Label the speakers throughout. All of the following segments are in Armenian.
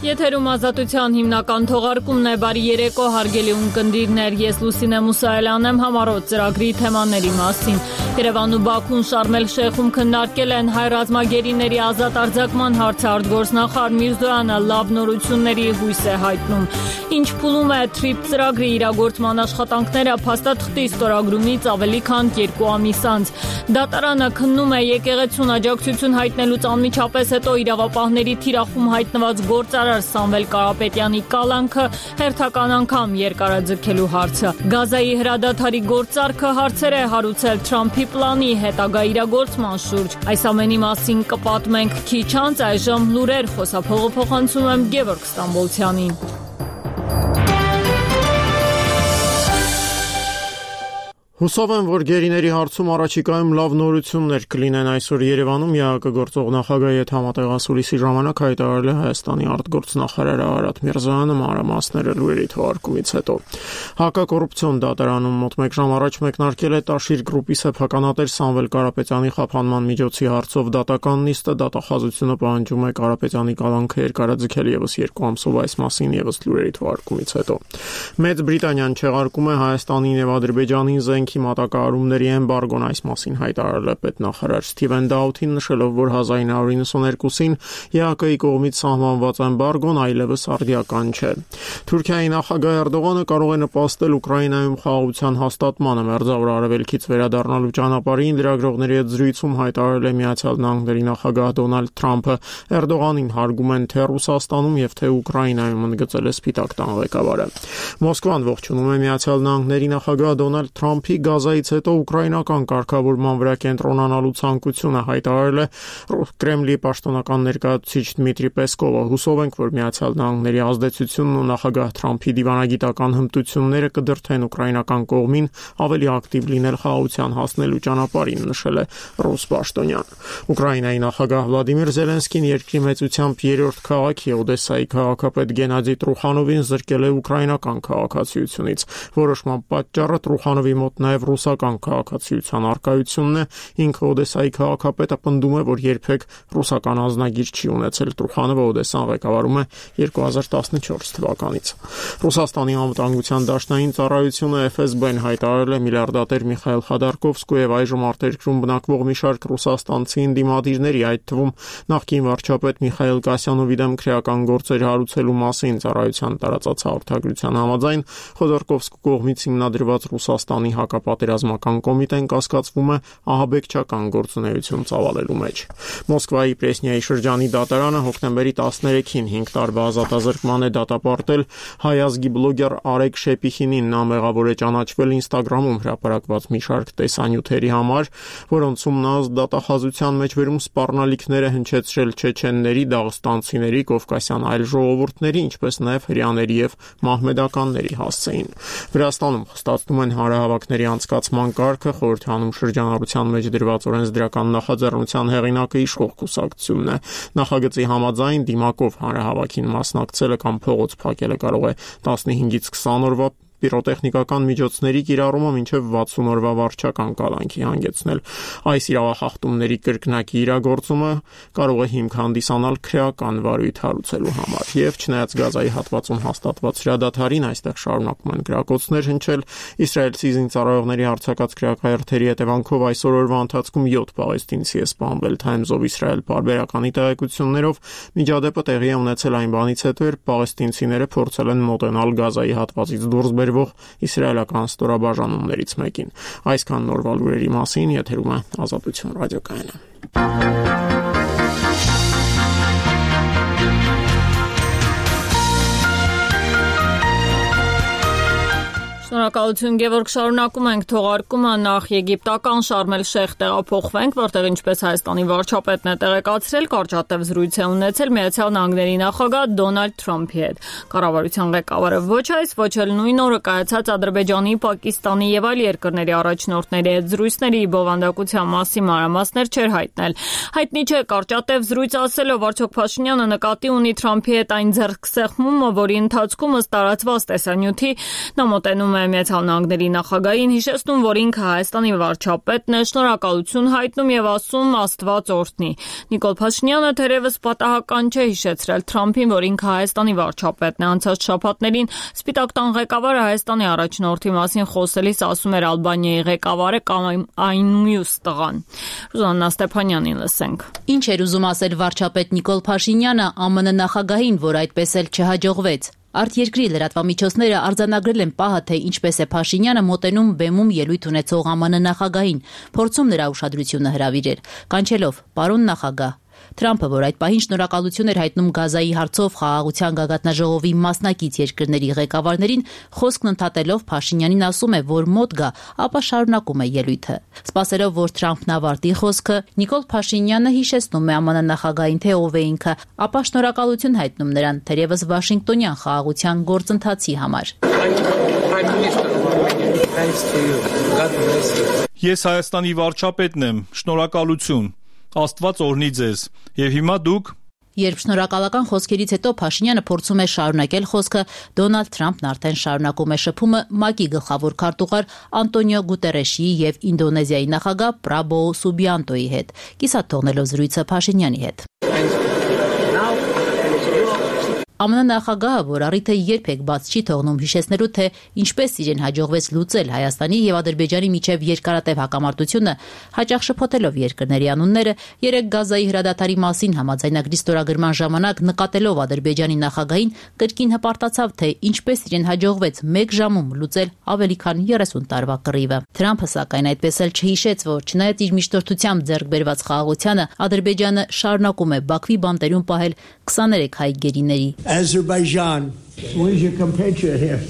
Speaker 1: Եթերում ազատության հիմնական թողարկումն է, բարի երեկո հարգելի ունկնդիրներ, ես Լուսինե Մուսայելյանն եմ համառոտ ծրագրի թեմաների մասին։ Երևանն ու Բաքուն Շարմ էլ-Շեյխում քննարկել են հայ ռազմագերիների ազատ արձակման հարցը, արտգործնախարար Միրզոյանը լավ նորությունների հույս է հայտնում։ Ինչ փուլում է TRIP ծրագրի իրագործման աշխատանքները փաստաթղթի ստորագրումից ավելի քան 2 ամիս անց։ Դատարանը քննում է եկեղեցուն աջակցություն հայտնելուց անմիջապես հետո իրավապահների թիրախում հայտնված գործարար Սամվել Կարապետյանի կալանքը հերթական անգամ երկարաձգելու հարցը։ Գազայի հրադադարի գործարքը հարցեր է հարուցել Թրամփի պլանի հետագա իրագործման շուրջ։ Այս ամենի մասին կպատմենք քիչ անց, այժմ լուրեր, խոսափողը փոխանցում եմ Գևորգ Ստամբոլցյանին։
Speaker 2: Հուսով եմ, որ գերիների հարցում առաջիկայում լավ նորություններ կլինեն այսօր Երևանում ԵԱԿ գործող նախագահի հետ համատեղասուլիսի ժամանակ հայտարարել է Հայաստանի արտգործնախարար Արարատ Միրզոյանը մանրամասները լուրերի թողարկումից հետո։ Հակակոռուպցիոն դատարանում մոտ 1 ժամ առաջ մեկնարկել է Տաշիր գրուպի սեփականատեր Սամվել Կարապետյանի խափանման միջոցի հարցով դատական նիստը, դատախազությունը պահանջում է Կարապետյանի կալանքը երկարաձգել եւս 2 ամսով, այս մասին եւս լուրերի թողարկումից հետո։ Մեծ Բրիտանիան չեղարկում է Հայաստանին եւ Ադրբեջանին զենքի մատակարարումների էմբարգոն, այս մասին հայտարարել է պետնախարար Սթիվեն Դաութին, նշելով, որ 1992-ին ԵԱԿ-ի կողմից սահմանված էմբարգոն այլևս արդիական չէ։ Թուրքիայի նախագահ Էրդողանը կարող է նպաստել Ուկրաինայում խաղաղության հաստատմանը, մերձավոր արևելքից վերադառնալու ճանապարհին լրագրողների հետ զրույցում հայտարարել է Միացյալ Նահանգների նախագահ Դոնալդ Թրամփը։ Էրդողանին հարգում են թե Ռուսաստանում եւ թե Ուկրաինայում, ընդգծել է Սպիտակ տան ղեկավարը։ Մոսկվան ողջունում է Միացյալ Նահանգների նախագահ Դոնալդ Թրամփի Գազայից հետո ուկրաինական կարգավորման վրա կենտրոնանալու ցանկությունը, հայտարարել է Կրեմլի պաշտոնական ներկայացուցիչ Դմիտրի Պեսկովը։ Հուսով ենք, որ Միացյալ Նահանգների ազդեցությունն ու նախագահ Թրամփի դիվանագիտական հմտությունները կդրթեն ուկրաինական կողմին ավելի ակտիվ լինել խաղաղության հասնելու ճանապարհին, նշել է ռուս պաշտոնյան։ Ուկրաինայի նախագահ Վլադիմիր Զելենսկին երկրի մեծությամբ 3-րդ քաղաքի Օդեսայի քաղաքապետ Գենադի Տրուխանովին զրկել է ուկրաինական քաղաքացիությունից։ Որոշման պատճառը Տրուխանովի մոտ նաև ռուսական քաղաքացիության առկայությունն է։ Ինքը Օդեսայի քաղաքապետը պնդում է, որ երբեք ռուսական ազնագիր չի ունեցել։ Տրուխանովը Օդեսան ղեկավարում է 2014 թվականից։ Ռուսաստանի անվտանգության դաշնային ծառայությունը FSB-ն հայտարարել է միլիարդատեր Միխայել Խադարկովսկու եւ այժմ արտերկրում բնակվող մի շարք ռուսաստանցի ընդդիմադիրների, այդ թվում նախկին վարչապետ Միխայել Կասյանովի դեմ քրեական գործեր հարուցելու մասին ծառայության տարածած հաղորդագրության համաձայն Խոդորկովսկու կողմից հիմնադրված Ռուսաստանի հակապատերազմական կոմիտեն կասկածվում է ահաբեկչական գործունեություն ծավալելու մեջ։ Մոսկվայի Պրեսնիայի շրջանի դատարանը հոկտեմբերի 13-ին 5 տարվա ազատազրկման է դատապարտել հայ ազգի բլոգեր Արեգ Շեպիխինին։ Նա մեղավոր է ճանաչվել Instagram-ում հրապարակված մի շարք տեսանյութերի համար, որոնցում նա դատախազության մեջբերում սպառնալիքներ է հնչեցրել չեչենների, դաղստանցիների, կովկասյան այլ ժողովուրդների, ինչպես նաև հրեաների եւ մահմեդականների հասցեին։ Վրաստանում խստացնում են հանրահավաքների անցկացման կարգը, խորհրդանում շրջանառության մեջ դրված օրենսդրական նախաձեռնության հեղինակը իշխող կուսակցությունն է։ Նախագծի համաձայն դիմակով հանրահավաքին մասնակցելը կամ փողոց փակելը կարող է 15-ից 20 օրվա պիրոտեխնիկական միջոցների կիրառումը մինչև 60 օրվա վարչական կալանքի հանգեցնել։ Այս իրավախախտումների կրկնակի իրագործումը կարող է հիմք հանդիսանալ քրեական վարույթ հարուցելու համար։ Եվ չնայած Գազայի հատվածում հաստատված հրադադարին, այստեղ շարունակում են գրակոծներ հնչել։ Իսրայելցի զինծառայողների հարձակած քրեակայերթերի հետևանքով այսօր օրվա ընթացքում 7 պաղեստինցի է սպանվել։ Times of Israel պարբերականի տեղեկություններով միջադեպը տեղի է ունեցել այն բանից հետո, երբ պաղեստինցիները փորձել են մոտենալ Գազայի հատվածից դուրս իսրայելական ստորաբաժանումներից մեկին։ Այսքան նորվա լուրերի մասին, եթերում է Ազատություն ռադիոկայանը։
Speaker 1: Շնորհակալություն Գևորգ, շարունակում ենք թողարկումը, նախ եգիպտական Շարմ էլ-Շեյխ տեղափոխվենք, որտեղ ինչպես Հայաստանի վարչապետն է տեղեկացրել, կարճատև զրույց է ունեցել Միացյալ Նահանգների նախագահ Դոնալդ Թրամփի հետ։ Կառավարության ղեկավարը ոչ այս, ոչ էլ նույն օրը կայացած Ադրբեջանի, Պակիստանի եւ այլ երկրների առաջնորդների հետ զրույցների բովանդակության մասին մանրամասներ չէր հայտնել։ Հայտնի չէ կարճատև զրույց ասելով արդյոք Փաշինյանը նկատի ունի Թրամփի հետ այն ձեռքսեղմումը, որի ընթացքում ըստ տարածված տեսանյութի նա մոտենում է Ունեցյալ Նահանգների նախագահին, հիշեցնում, որ ինքը Հայաստանի վարչապետն է, շնորհակալություն հայտնում եւ ասում Աստված օրհնի։ Նիկոլ Փաշինյանը թերևս պատահական չէ հիշեցրել Թրամփին, որ ինքը Հայաստանի վարչապետն է։ Անցած շաբաթներին Սպիտակ տան ղեկավարը Հայաստանի առաջնորդի մասին խոսելիս ասում էր Ալբանիայի ղեկավարը կամ այն մյուս տղան։ Ռուզաննա Ստեփանյանին լսենք։
Speaker 3: Ինչ էր ուզում ասել վարչապետ Նիկոլ Փաշինյանը ԱՄՆ նախագահին, որ այդպես էլ չհաջողվեց։ Արտերկրի լրատվամիջոցները արձանագրել են պահը, թե ինչպես է Փաշինյանը մոտենում բեմում ելույթ ունեցող ԱՄՆ նախագահին, փորձում նրա ուշադրությունը հրավիրել, կանչելով «Պարոն նախագահ»։ Թրամփը, որ այդ պահին շնորհակալություն էր հայտնում Գազայի հարցով խաղաղության գագաթնաժողովի մասնակից երկրների ղեկավարներին, խոսքն ընդհատելով Փաշինյանին ասում է, որ մոտ գա, ապա շարունակում է ելույթը։ Սպասելով, որ Թրամփն ավարտի խոսքը, Նիկոլ Փաշինյանը հիշեցնում է ԱՄՆ նախագահին, թե ով է ինքը, ապա շնորհակալություն հայտնում նրան, թերևս Վաշինգտոնյան խաղաղության գործընթացի համար։
Speaker 4: Ես Հայաստանի վարչապետն եմ, շնորհակալություն։ Աստված օրհնի ձեզ։ Եվ հիմա դուք։
Speaker 3: Երբ շնորհակալական խոսքերից հետո Փաշինյանը փորձում է շարունակել խոսքը, Դոնալդ Թրամփն արդեն շարունակում է շփումը ՄԱԿ-ի գլխավոր քարտուղար Անտոնիո Գուտերեշի եւ Ինդոնեզիայի նախագահ Պրաբոո Սուբիանտոյի հետ, կիսատ թողնելով զրույցը Փաշինյանի հետ։ ԱՄՆ նախագահը, որ առիթը երբեք բաց չի թողնում հիշեցնելու, թե ինչպես իրեն հաջողվեց լուծել Հայաստանի եւ Ադրբեջանի միջև երկարատև հակամարտությունը, հաճախ շփոթելով երկրների անունները, երեք Գազայի հրադադարի մասին համաձայնագրի ստորագրման ժամանակ նկատելով Ադրբեջանի նախագահին, կրկին հպարտացավ, թե ինչպես իրեն հաջողվեց 1 ժամում լուծել ավելի քան 30 տարվա կռիվը։ Թրամփը սակայն այդպես էլ չհիշեց, որ չնայած իր միջնորդությամբ ձեռք բերված խաղաղությանը, Ադրբեջանը շարունակում է Բաքվի բանտերում պահել 23 հայ գերիների։
Speaker 5: Azerbaijan, where's your compatriot here?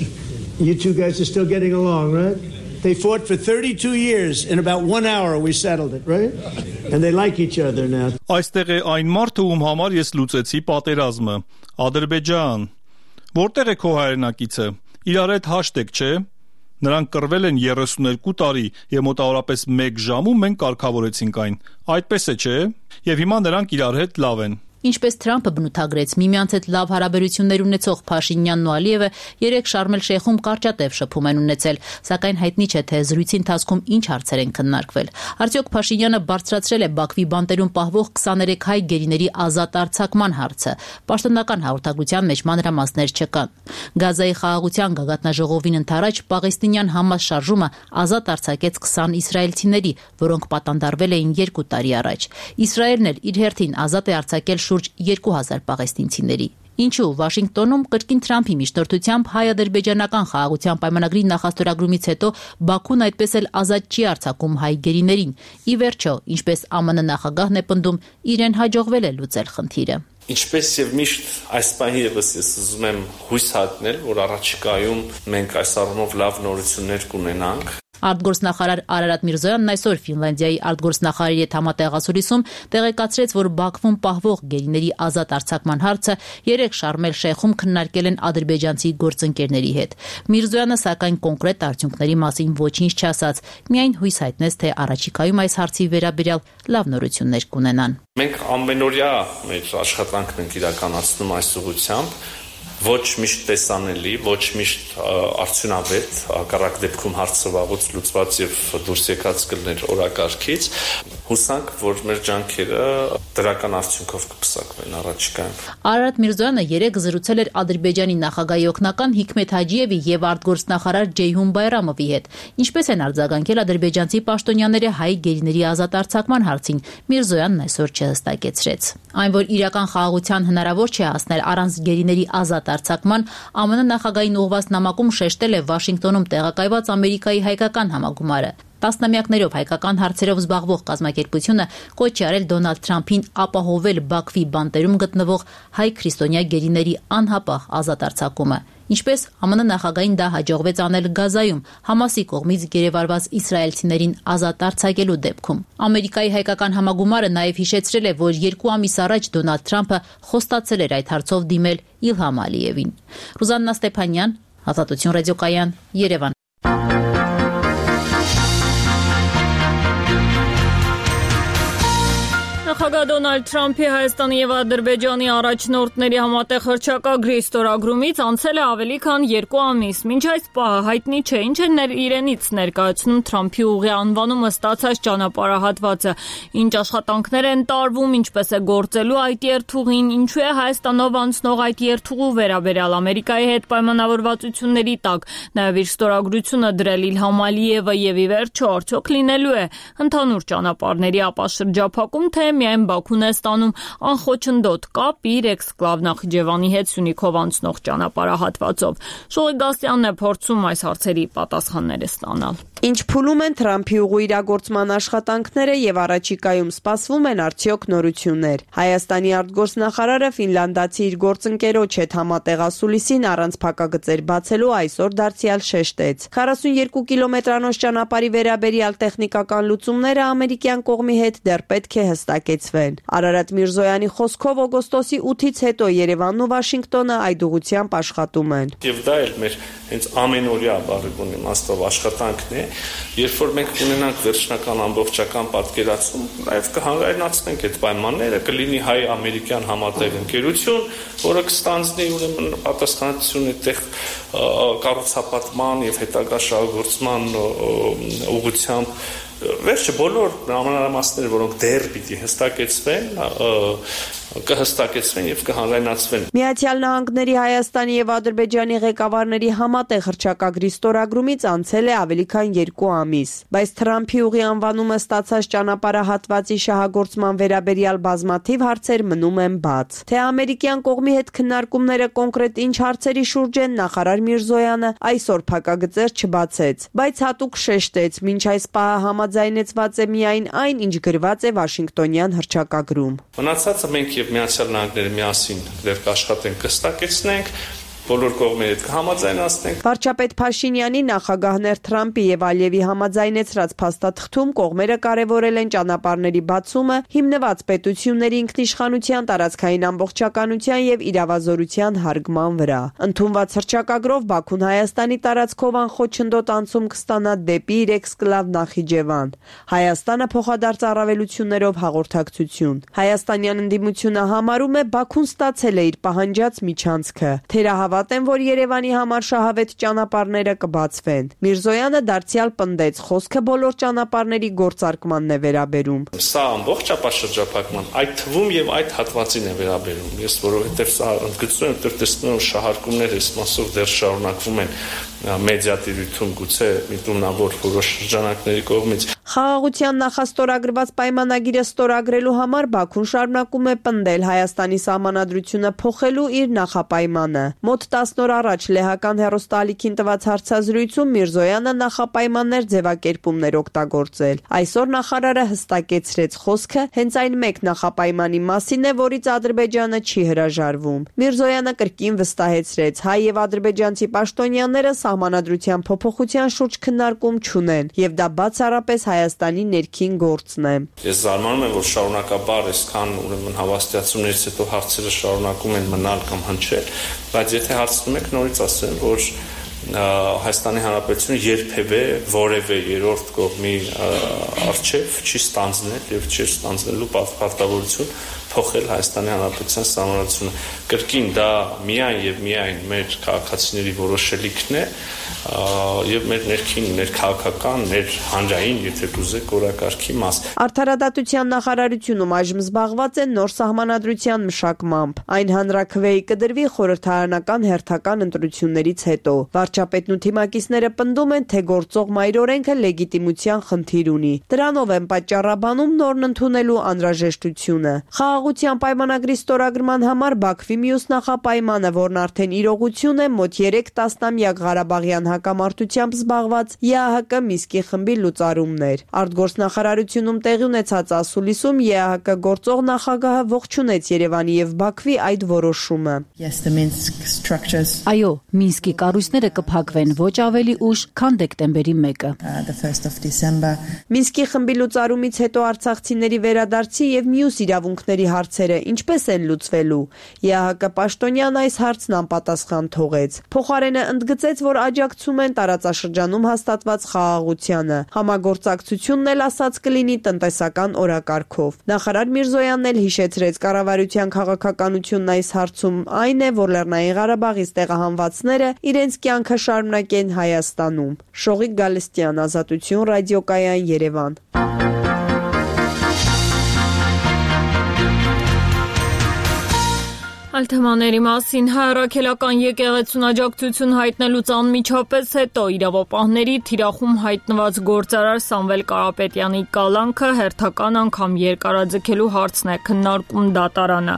Speaker 5: You two guys are still getting along, right? They fought for 32 years. In about 1 hour we settled it, right? And they like each other now.
Speaker 4: Այստեղ է այն մարդը, ում համար ես լուծեցի պատերազմը։ Ադրբեջան։ Որտեղ է քո հայրենակիցը։ Իրար հետ հաշտեք, չէ՞։ Նրանք կռվել են 32 տարի եւ մոտավորապես 1 ժամում մենք կարգավորեցինք այն։ Այդպես է, չէ՞։ Եվ հիմա նրանք իրար հետ լավ են։
Speaker 3: Ինչպես Թրամփը բնութագրեց, միմյանց հետ լավ հարաբերություններ ունեցող Փաշինյանն ու Ալիևը երեք Շարմ էլ-Շեյխում կարճատև շփում են ունեցել, սակայն հայտնի չէ, թե զրույցի ընթացքում ինչ հարցեր են քննարկվել։ Արդյոք Փաշինյանը բարձրացրել է Բաքվի բանտերում պահվող 23 հայ գերիների ազատ արձակման հարցը։ Պաշտոնական հաղորդագրության մեջ մանրամասներ չկան։ Գազայի խաղաղության գագաթնաժողովին ընդառաջ Պաղեստինյան Համաս շարժումը ազատ արձակեց 20 իսրայելցիների, որոնք պատանդարվել էին 2 տարի առաջ։ Իսրայելն էլ իր հերթին ազատ է արձակել շուրջ 2000 պաղեստինցիների։ Ինչու Վաշինգտոնում կրկին Թրամփի միջնորդությամբ հայ-ադրբեջանական խաղաղության պայմանագրի նախաստորագրումից հետո Բաքուն այդպես էլ ազատ չի արձակում հայ գերիներին։ Ի վերջո, ինչպես ԱՄՆ նախագահն է պնդում, իրեն հաջողվել է լուծել խնդիրը։
Speaker 6: Ինչպես եւ միշտ այս պահի եւս ես ուզում եմ հույս հատնել, որ առաջիկայում մենք այս առումով լավ նորություններ կունենանք։
Speaker 3: Արտգործնախարար Արարատ Միրզոյանն այսօր Ֆինլանդիայի արտգործնախարարի հետ համատեղասուրիսում տեղեկացրեց, որ Բաքվում պահվող գերիների ազատ արձակման հարցը երեք Շարմ էլ-Շեյխում քննարկել են ադրբեջանցի գործընկերների հետ։ Միրզոյանը սակայն կոնկրետ արդյունքների մասին ոչինչ չասաց, միայն հույս հայտնեց, թե առաջիկայում այս հարցի վերաբերյալ լավ նորություններ կունենան։
Speaker 6: Մենք ամենօրյա մեր աշխատանքն ենք իրականացնում այս ուղղությամբ։ Ոչ միշտ տեսանելի, ոչ միշտ արդյունավետ, հակառակ դեպքում հարցը վաղուց լուծված եւ դուրս եկած կլներ օրակարգից։ Հուսանք, որ մեր ջանքերը դրական արդյունքով կփսակվեն առաջիկայում։
Speaker 3: Արարատ Միրզոյանը երեք զրուցել էր Ադրբեջանի նախագահի օգնական Հիկմեթ Հաջիևի եւ արտգործնախարար Ջեյհուն Բայրամովի հետ։ Ինչպես են արձագանքել ադրբեջանցի պաշտոնյաները հայ գերիների ազատ արձակման հարցին, Միրզոյանն այսօր չհստակեցրեց։ Այն, որ իրական խաղաղության հնարավոր չէ հասնել առանց գերիների ազատ արձակման, ԱՄՆ նախագահին ուղղված նամակում շեշտել է Վաշինգտոնում տեղակայված Ամերիկայի հայկական համագումարը։ Տասնամյակներով հայկական հարցերով զբաղվող կազմակերպությունը կոչ է արել Դոնալդ Թրամփին ապահովել Բաքվի բանտերում գտնվող հայ քրիստոնյա գերիների անհապաղ ազատ արձակումը։ Ինչպես ԱՄՆ նախագահին դա հաջողվեց անել Գազայում Համասի կողմից գերեվարված իսրայելցիներին ազատ արձակելու դեպքում։ Ամերիկայի հայկական համագումարը նաև հիշեցրել է, որ 2 ամիս առաջ Դոնալդ Թրամփը խոստացել էր այդ հարցով դիմել Իլհամ Ալիևին։ Ռուզաննա Ստեփանյան, Ազատություն ռադիոկայան, Երևան։
Speaker 1: Նախագահ Դոնալդ Թրամփի Հայաստանի եւ Ադրբեջանի առաջնորդների համատեղ հռչակագրի ստորագրումից անցել է ավելի քան 2 ամիս։ Մինչ այս պահը հայտնի չէ ինչ է իրենից ներկայացնում Թրամփի ուղի անվանումը ստացած ճանապարհահատվածը, ինչ աշխատանքներ են տարվում, ինչպես է գործելու այդ երթուղին, ինչու է Հայաստանով անցնող այդ երթուղու վերաբերյալ Ամերիկայի հետ պայմանավորվածությունների տակ, նաեւ իր ստորագրությունը դրել Իլհամ Ալիևը եւ ի վերջո արդյոք լինելու է ընդհանուր ճանապարհների ապաշրջափակում, թե միայն Բաքուն է ստանում անխոչնդոտ կապ իր էքսկլավ Նախիջևանի հետ Սյունիքով անցնող ճանապարհահատվածով։ Շողի Գասյանն է փորձում այս հարցերի պատասխանները ստանալ։
Speaker 7: Ինչ փուլում են Թրամփի ուղու իրագործման աշխատանքները եւ առաջիկայում սպասվում են արդյոք նորություններ։ Հայաստանի արտգործնախարարը ֆինլանդացի իր գործընկերոջ հետ համատեղասուլիսին առանց փակագծեր բացելու այսօր դարձյալ շեշտեց։ 42 կիլոմետրանոց ճանապարհի վերաբերյալ տեխնիկական լուծումները ամերիկյան կողմի հետ դեռ պետք է հստակեցվեն։ Արարատ Միրզոյանի խոսքով օգոստոսի 8-ից հետո Երևանն ու Վաշինգտոնը այդ ուղղությամբ աշխատում են։
Speaker 6: Եվ դա էլ մեր հենց ամենօրյա բառի իմաստով աշխատանքն է, երբ որ մենք ունենանք վերջնական ամբողջական պատկերացում, նաև կհանրայնացնենք այդ պայմանները, կլինի հայ-ամերիկյան համատեղ ընկերություն, որը կստանձնի ուրեմն պատասխանատվություն այդտեղ կառուցապատման եւ հետագա շահագործման ուղղությամբ վերջը բոլոր ամենամասները, որոնք դեռ պիտի հստակեցվեն, կհստակեցվեն եւ կհանրայնացվեն։
Speaker 7: Միացյալ Նահանգների, Հայաստանի եւ Ադրբեջանի ղեկավարների համատեղ հռչակագրի ստորագրումից անցել է ավելի քան 2 ամիս, բայց Թրամփի ուղի անվանումը ստացած ճանապարհահատվածի շահագործման վերաբերյալ բազմաթիվ հարցեր մնում են բաց։ Թե ամերիկյան կողմի հետ քննարկումները կոնկրետ ինչ հարցերի շուրջ են, նախարար Միրզոյանը այսօր փակագծեր չբացեց, բայց հատուկ շեշտեց, մինչ այս պահը համաձայնեցված է միայն այն, ինչ գրված է Վաշինգտոնյան հռչակագրում։
Speaker 6: Մնացածը մենք եւ Միացյալ Նահանգները միասին դեռ կաշխատենք, կստակեցնենք, բոլոր կողմերը կհամաձայնացնենք։
Speaker 7: Վարչապետ Փաշինյանի, նախագահներ Թրամփի եւ Ալիևի համաձայնեցրած փաստաթղթում կողմերը կարևորել են ճանապարհների բացումը հիմնված պետությունների ինքնիշխանության, տարածքային ամբողջականության եւ իրավազորության հարգման վրա։ Ընդունված հռչակագրով Բաքուն Հայաստանի տարածքով անխոչնդոտ անցում կստանա դեպի իր էքսկլավ Նախիջևան։ Հայաստանը փոխադարձ առավելություններով հաղորդակցություն։ Հայաստանյան ընդդիմությունը համարում է Բաքուն ստացել է իր պահանջած միջանցքը։ Թերահավատ են, որ Երևանի համար շահավետ ճանապարհները կբացվեն։ Միրզոյանը դարձյալ պնդեց, խոսքը բոլոր ճանապարհների գործարկմանն է վերաբերում։
Speaker 6: Սա ամբողջ ապաշրջափակման, այդ թվում եւ այդ հատվածին է վերաբերում։ Ես որովհետեւ սա ընդգծում եմ, որ տեսնում եմ շահարկումներ այս մասով դեռ շարունակվում են մեդիատիրույթում գուցե միտումնավոր որոշ շրջանակների կողմից։
Speaker 7: Խաղաղության նախաստորագրված պայմանագիրը ստորագրելու համար Բաքուն շարունակում է պնդել Հայաստանի սահմանադրությունը փոխելու իր նախապայմանը։ Մոտ 10 օր առաջ լեհական հեռուստաալիքին տված հարցազրույցում Միրզոյանը նախապայմաններ ձևակերպումներ օգտագործել։ Այսօր նախարարը հստակեցրեց, խոսքը հենց այն մեկ նախապայմանի մասին է, որից Ադրբեջանը չի հրաժարվում։ Միրզոյանը կրկին վստահեցրեց, հայ եւ ադրբեջանցի պաշտոնյաները սահմանադրության փոփոխության շուրջ քննարկում չունեն եւ դա բացառապես Հայաստանի ներքին գործն է։
Speaker 6: Ես զարմանում եմ, որ շարունակաբար այսքան ուրեմն հավաստիացումներից հետո հարցերը շարունակում են մնալ կամ հնչել, բայց եթե հարցնում եք, նորից ասեմ, որ Հայաստանի Հանրապետությունը երբևէ որևէ երրորդ կողմի արչև չի ստանձնել եւ չի ստանձնելու պարտավորություն փոխել Հայաստանի Հանրապետության սահմանադրությունը։ Կրկին դա միայն եւ միայն մեր քաղաքացիների որոշելիքն է եւ մեր ներքին, ներքաղաքական, մեր հանրային, եթե կուզեք, օրակարգի մաս։
Speaker 7: Արդարադատության նախարարությունում այժմ զբաղված են նոր սահմանադրության մշակմամբ։ Այն հանրաքվեի կդրվի խորհրդարանական հերթական ընտրություններից հետո։ Վարչապետն ու թիմակիցները պնդում են, թե գործող մայրօրենքը լեգիտիմության խնդիր ունի։ Դրանով են պատճառաբանում նորն ընդունելու անհրաժեշտությունը։ Խաղաղության պայմանագրի ստորագրման համար Բաքվի մյուս նախապայմանը, որն արդեն իրողություն է, մոտ 3 տասնամյակ Ղարաբաղյան հակամարտությամբ զբաղված ԵԱՀԿ Մինսկի խմբի լուծարումներ։ Արտգործնախարարությունում տեղի ունեցած ասուլիսում ԵԱՀԿ գործող նախագահը ողջունեց Երևանի եւ Բաքվի այդ որոշումը։
Speaker 3: Այո, Մինսկի կառույցները կփակվեն ոչ ավելի ուշ, քան դեկտեմբերի 1-ը։
Speaker 7: Մինսկի խմբի լուծարումից հետո արցախցիների վերադարձի եւ մյուս իրավունքների հարցերը ինչպես են լուծվելու։ ԵԱՀԿ պաշտոնյան այս հարցն անպատասխան թողեց։ Փոխարենը ընդգծեց, որ աջակցում են տարածաշրջանում հաստատված խաղաղությանը։ Համագործակցությունն էլ ասաց կլինի տնտեսական օրակարգով։ Նախարար Միրզոյանն էլ հիշեցրեց կառավարության քաղաքականությունն այս հարցում այն է, որ Լեռնային Ղարաբաղից տեղահանվածները իրենց կյանքը շարունակեն Հայաստանում։ Շողիկ Գալստյան, Ազատություն, ռադիոկայան, Երևան։
Speaker 1: Այլ թեմաների մասին հայրաքելական եկեղեցուն աջակցություն հայտնելուց անմիջապես հետո իրավապահների թիրախում հայտնված գործարար Սամվել Կարապետյանի կալանքը հերթական անգամ երկարաձգելու հարցն է քննարկում դատարանը։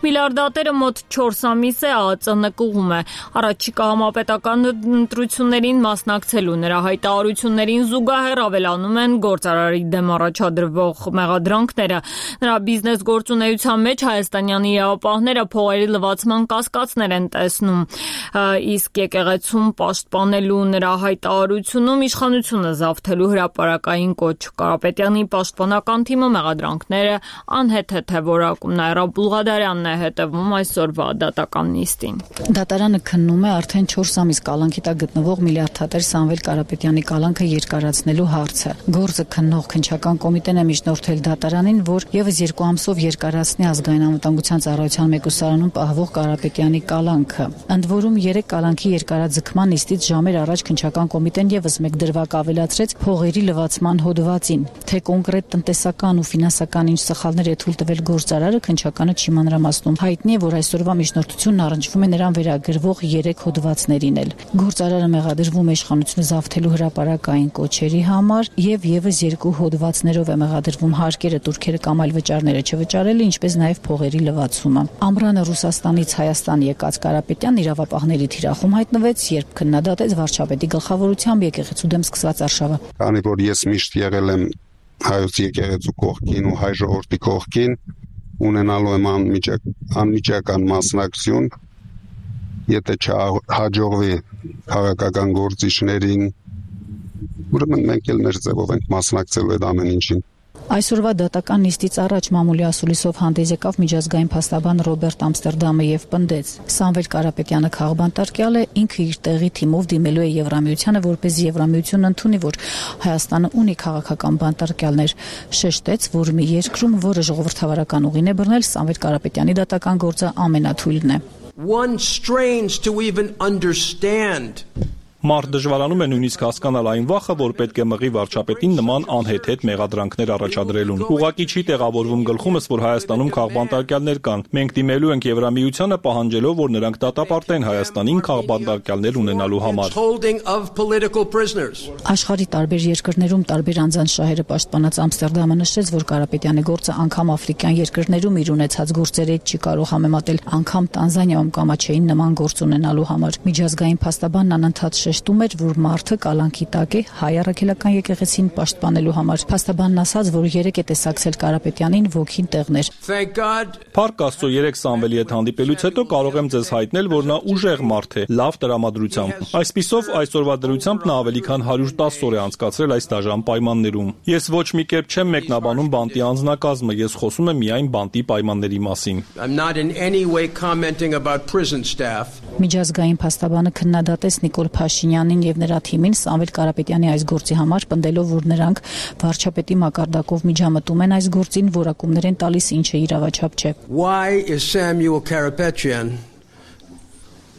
Speaker 1: Միլիարդատերը մոտ 4 ամիս է ԱԱԾ նկուղում է առաջիկա համապետական ընտրություններին մասնակցելու նրա հայտարարություններին զուգահեռ ավելանում են գործարարի դեմ առաջադրվող մեղադրանքները։ Նրա բիզնես գործունեության մեջ հայաստանյան իրավապահները լվացման կասկածներ են տեսնում, իսկ եկեղեցում պաշտպանելու նրա հայտարարությունում իշխանությունը զավթելու հրապարակային կոչ։ Կարապետյանի պաշտպանական թիմը մեղադրանքները անհեթեթ է որակում։ Նաիրա Բուլղադարյանն է հետևում այսօրվա դատական նիստին։
Speaker 8: Դատարանը քննում է արդեն 4 ամիս կալանքի տակ գտնվող միլիարդատեր Սամվել Կարապետյանի կալանքը երկարացնելու հարցը։ Գործը քննող քննչական կոմիտեն է միջնորդել դատարանին, որ եւս 2 ամսով երկարացնի ազգային անվտանգության ծառայության մեկուսարանում պահվող Կարապետյանի կալանքը։ Ընդ որում 3 կալանքի երկարաձգման նիստից ժամեր առաջ քննչական կոմիտեն եւս մեկ դրվագ ավելացրեց փողերի լվացման հոդվածին։ Թե կոնկրետ տնտեսական ու ֆինանսական ինչ սխալներ է թույլ տվել գործարարը, քննչականը չի մանրամասնում։ Հայտնի է, որ այսօրվա միջնորդությունն առնչվում է նրան վերագրվող 3 հոդվածներին էլ։ Գործարարը մեղադրվում է իշխանությունը զավթելու հրապարակային կոչերի համար եւ եւս 2 հոդվածներով է մեղադրվում հարկերը, տուրքերը կամ այլ վճարները չվճարելը, ինչպես նաեւ փողերի լվացումը։ Ամռանը Ռուսաստանից Հայաստան եկած Կարապետյանն իրավապահների թիրախում հայտնվեց, երբ քննադատեց վարչապետի գլխավորությամբ եկեղեցու դեմ սկսված արշավը։
Speaker 9: Քանի որ ես միշտ եղել եմ հայոց եկեղեցու կողքին ու հայ ժողովրդի կողքին, ունենալու եմ անմիջական մասնակցություն, եթե չհաջողվի քաղաքական գործիչներին, ուրեմն մենք էլ մեր ձևով ենք մասնակցելու այդ ամեն ինչին։
Speaker 8: Այսօրվա դատական նիստից առաջ մամուլի ասուլիսով հանդես եկավ միջազգային փաստաբան Ռոբերտ Ամստերդամը եւ պնդեց. Սամվել Կարապետյանը քաղբանտարկյալ է, ինքը իր տեղի թիմով դիմելու է Եվրամիությանը, որպեսզի Եվրամիությունն ընդունի, որ Հայաստանը ունի քաղաքական բանտարկյալներ։ Շեշտեց, որ մի երկրում, որը ժողովրդավարական ուղին է բռնել, Սամվել Կարապետյանի դատական գործը ամենաթույլն է։
Speaker 10: One strains to even understand.
Speaker 4: Մարդ դժվարանում է նույնիսկ հասկանալ այն վախը, որ պետք է մղի վարչապետին նման անհեթեթ մեղադրանքներ առաջադրելուն։ Ուղղակի չի տեղավորվում գլխումս, որ Հայաստանում քաղբանտարկյալներ կան։ Մենք դիմելու ենք Եվրամիությանը պահանջելով, որ նրանք դատապարտեն Հայաստանին քաղբանտարկյալներ ունենալու համար։
Speaker 8: Աշխարհի տարբեր երկրներում տարբեր անձանց շահերը պաշտպանած Ամստերդամը նշեց, որ Կարապետյանի գործը անգամ աֆրիկյան երկրներում իր ունեցած գործերի հետ չի կարող համեմատել, անգամ Տանզանիայում կամաչեին նման գործ ունենալու համար։ Միջազգային փաստաբանն անընդհատ շեշտում էր, որ մարդը կալանքի տակ է հայ առաքելական եկեղեցին պաշտպանելու համար։ Փաստաբանն ասաց, որ 3 է տեսակցել Կարապետյանին ոգին տեղներ։
Speaker 4: Փառք Աստծո, 3 Սամվելի հետ հանդիպելուց հետո կարող եմ ձեզ հայտնել, որ նա ուժեղ մարդ է, լավ տրամադրությամբ։ Այսպիսով, այսօրվա դրությամբ նա ավելի քան 110 օր է անցկացրել այս դաժան պայմաններում։ Ես ոչ մի կերպ չեմ մեկնաբանում բանտի անձնակազմը, ես խոսում եմ միայն բանտի պայմանների մասին։
Speaker 8: Միջազգային փաստաբանը քննադատեց Նիկոլ Փաշինյանին եւ նրա թիմին Սամվել Կարապետյանի այս գործի համար, պնդելով, որ նրանք վարչապետի մակարդակով միջամտում են այս գործին, որակումներ են տալիս, ինչը իրավաչափ չէ։
Speaker 10: Why is Samuel Karapetyan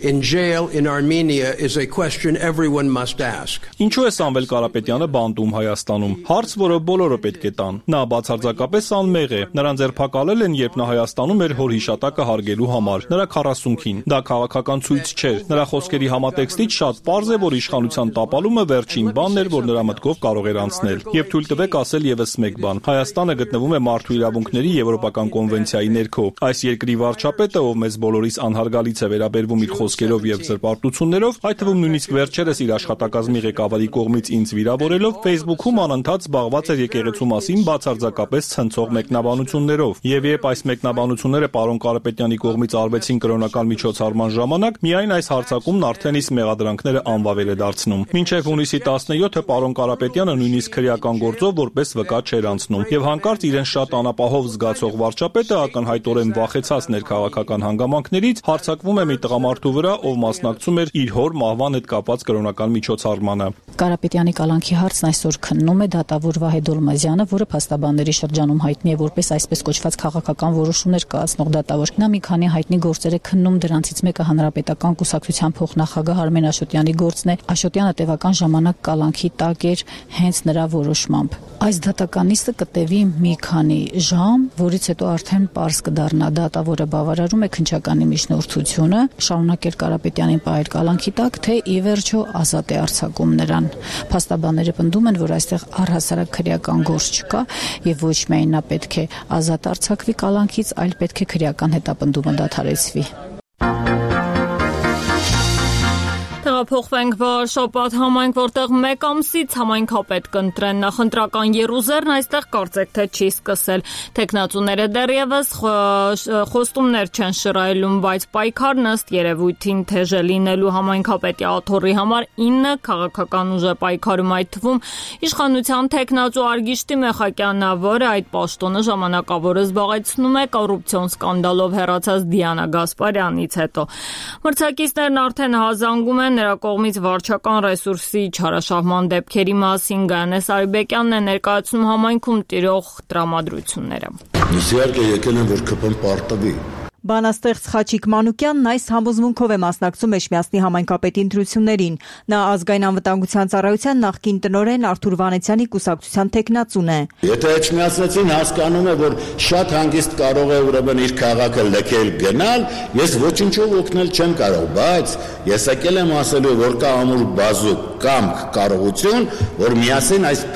Speaker 10: in jail in Armenia is a question everyone must ask.
Speaker 4: Ինչու է Սամվել Կարապետյանը բանտում Հայաստանում։ Հարց, որը բոլորը պետք է տան։ Նա բացարձակապես անմեղ է։ Նրան ձերբակալել են, երբ նա Հայաստանում էր հոր հիշատակը հարգելու համար։ Նրա 40-ին։ Դա քաղաքական ցույց չէր։ Նրա խոսքերի համատեքստից շատ պարզ է, որ իշխանության տապալումը վերջին բանն էր, որ նրա մտքով կարող էր անցնել։ Եվ թույլ տվեք ասել եւս մեկ բան։ Հայաստանը գտնվում է մարդու իրավունքների եվրոպական կոնվենցիայի ներքո։ Այս երկրի վարչապետը, ով մեզ բոլորիս անհարգալից է վերաբերվում իր խոսքերով եւ զրպարտություններով, այդ թվում նույնիսկ վերջերս իր աշխատակազմի ղեկավարի կողմից ինձ վիրավորելով, Facebook-ում անընդհատ զբաղված էր եկեղեցու մասին բացարձակապես ցնցող մեկնաբանություններով։ Եվ երբ այս մեկնաբանությունները պարոն Կարապետյանի կողմից արվեցին կրոնական միջոցառման ժամանակ, միայն այս հարձակումն արդեն իսկ մեղադրանքները անվավել է դարձնում։ Մինչև հունիսի 17-ը պարոն Կարապետյանը նույնիսկ քրեական գործով որպես վկա չէր անցնում։ Եվ հանկարծ իրեն շատ անապահով զգացող վարչապետը ակնհայտորեն վախեցած ներքաղաքական հանգամանքներից հարձակվում է մի տղամարդու վրա, ով մասնակցում էր իր հոր մահվան հետ կապված կրոնական միջոցառմանը։
Speaker 8: Կարապետյանի կալանքի հարցն այսօր քննում է դատավոր Վահե Դոլմազյանը, որը փաստաբանների շրջանում հայտնի է որպես այսպես կոչված քաղաքական որոշումներ կայացնող դատավոր։ Նա մի քանի հայտնի գործեր է քննում, դրանցից մեկը հանրապետական կուսակցության փոխնախագահ Արմեն Աշոտյանի գործն է։ Աշոտյանը տևական ժամանակ կալանքի տակ էր հենց նրա որոշմամբ։ Այս դատական նիստը կտևի մի քանի ժամ, որից հետո արդեն պարզ կդառնա դատավորը բավարարում է քննչականի միջնորդությունը, շարունակել Կարապետյանին պահել կալանքի տակ, թե ի վերջո ազատ է արձակում նրան։ Փաստաբանները պնդում են, որ այստեղ առհասարակ քրեական գործ չկա եւ ոչ միայն նա պետք է ազատ արձակվի կալանքից, այլ պետք է քրեական հետապնդումը դադարեցվի։
Speaker 1: Փոխվենք Շապատ համայնք, որտեղ 1 ամսից համայնքապետ կընտրեն նախընտրական եռուզեռն այստեղ կարծեք թե չի սկսել։ Տեխնացուները դեռևս խոստումներ չեն շռայլում, բայց պայքարն ըստ երևույթին թեժ է լինելու համայնքապետի աթոռի համար 9 քաղաքական ուժ է պայքարում, այդ թվում իշխանության տեխնացու Արգիշտի Մեխակյանն, որը այդ պաշտոնը ժամանակավոր զբաղեցնում է կոռուպցիոն սկանդալով հեռացած Դիանա Գասպարյանից հետո։ Մրցակիցներն արդեն հազանգում են նրա կողմից վարչական ռեսուրսի չարաշահման դեպքերի մասին։ Գայանես Արիբեկյանն է ներկայացնում համայնքում տիրող տրամադրությունները։
Speaker 11: Իհարկե եկել են, որ ԿՊ-ն պարտվի։
Speaker 7: Բանաստեղծ Խաչիկ Մանուկյանն այս համոզմունքով է մասնակցում Էջմիածնի համայնքապետի ընտրություններին։ Նա ազգային անվտանգության ծառայության նախկին տնօրեն Արթուր Վանեցյանի կուսակցության տեխնացուն է։
Speaker 11: Եթե Էջմիածնեցին հասկանում է, որ շատ հանգիստ կարող է ուրեմն իր քաղաքը լքել գնալ, ես ոչինչով օգնել չեմ կարող, բայց ես եկել եմ ասելու, որ կա ամուր բազուկ կամք կարողություն, որ միասին այս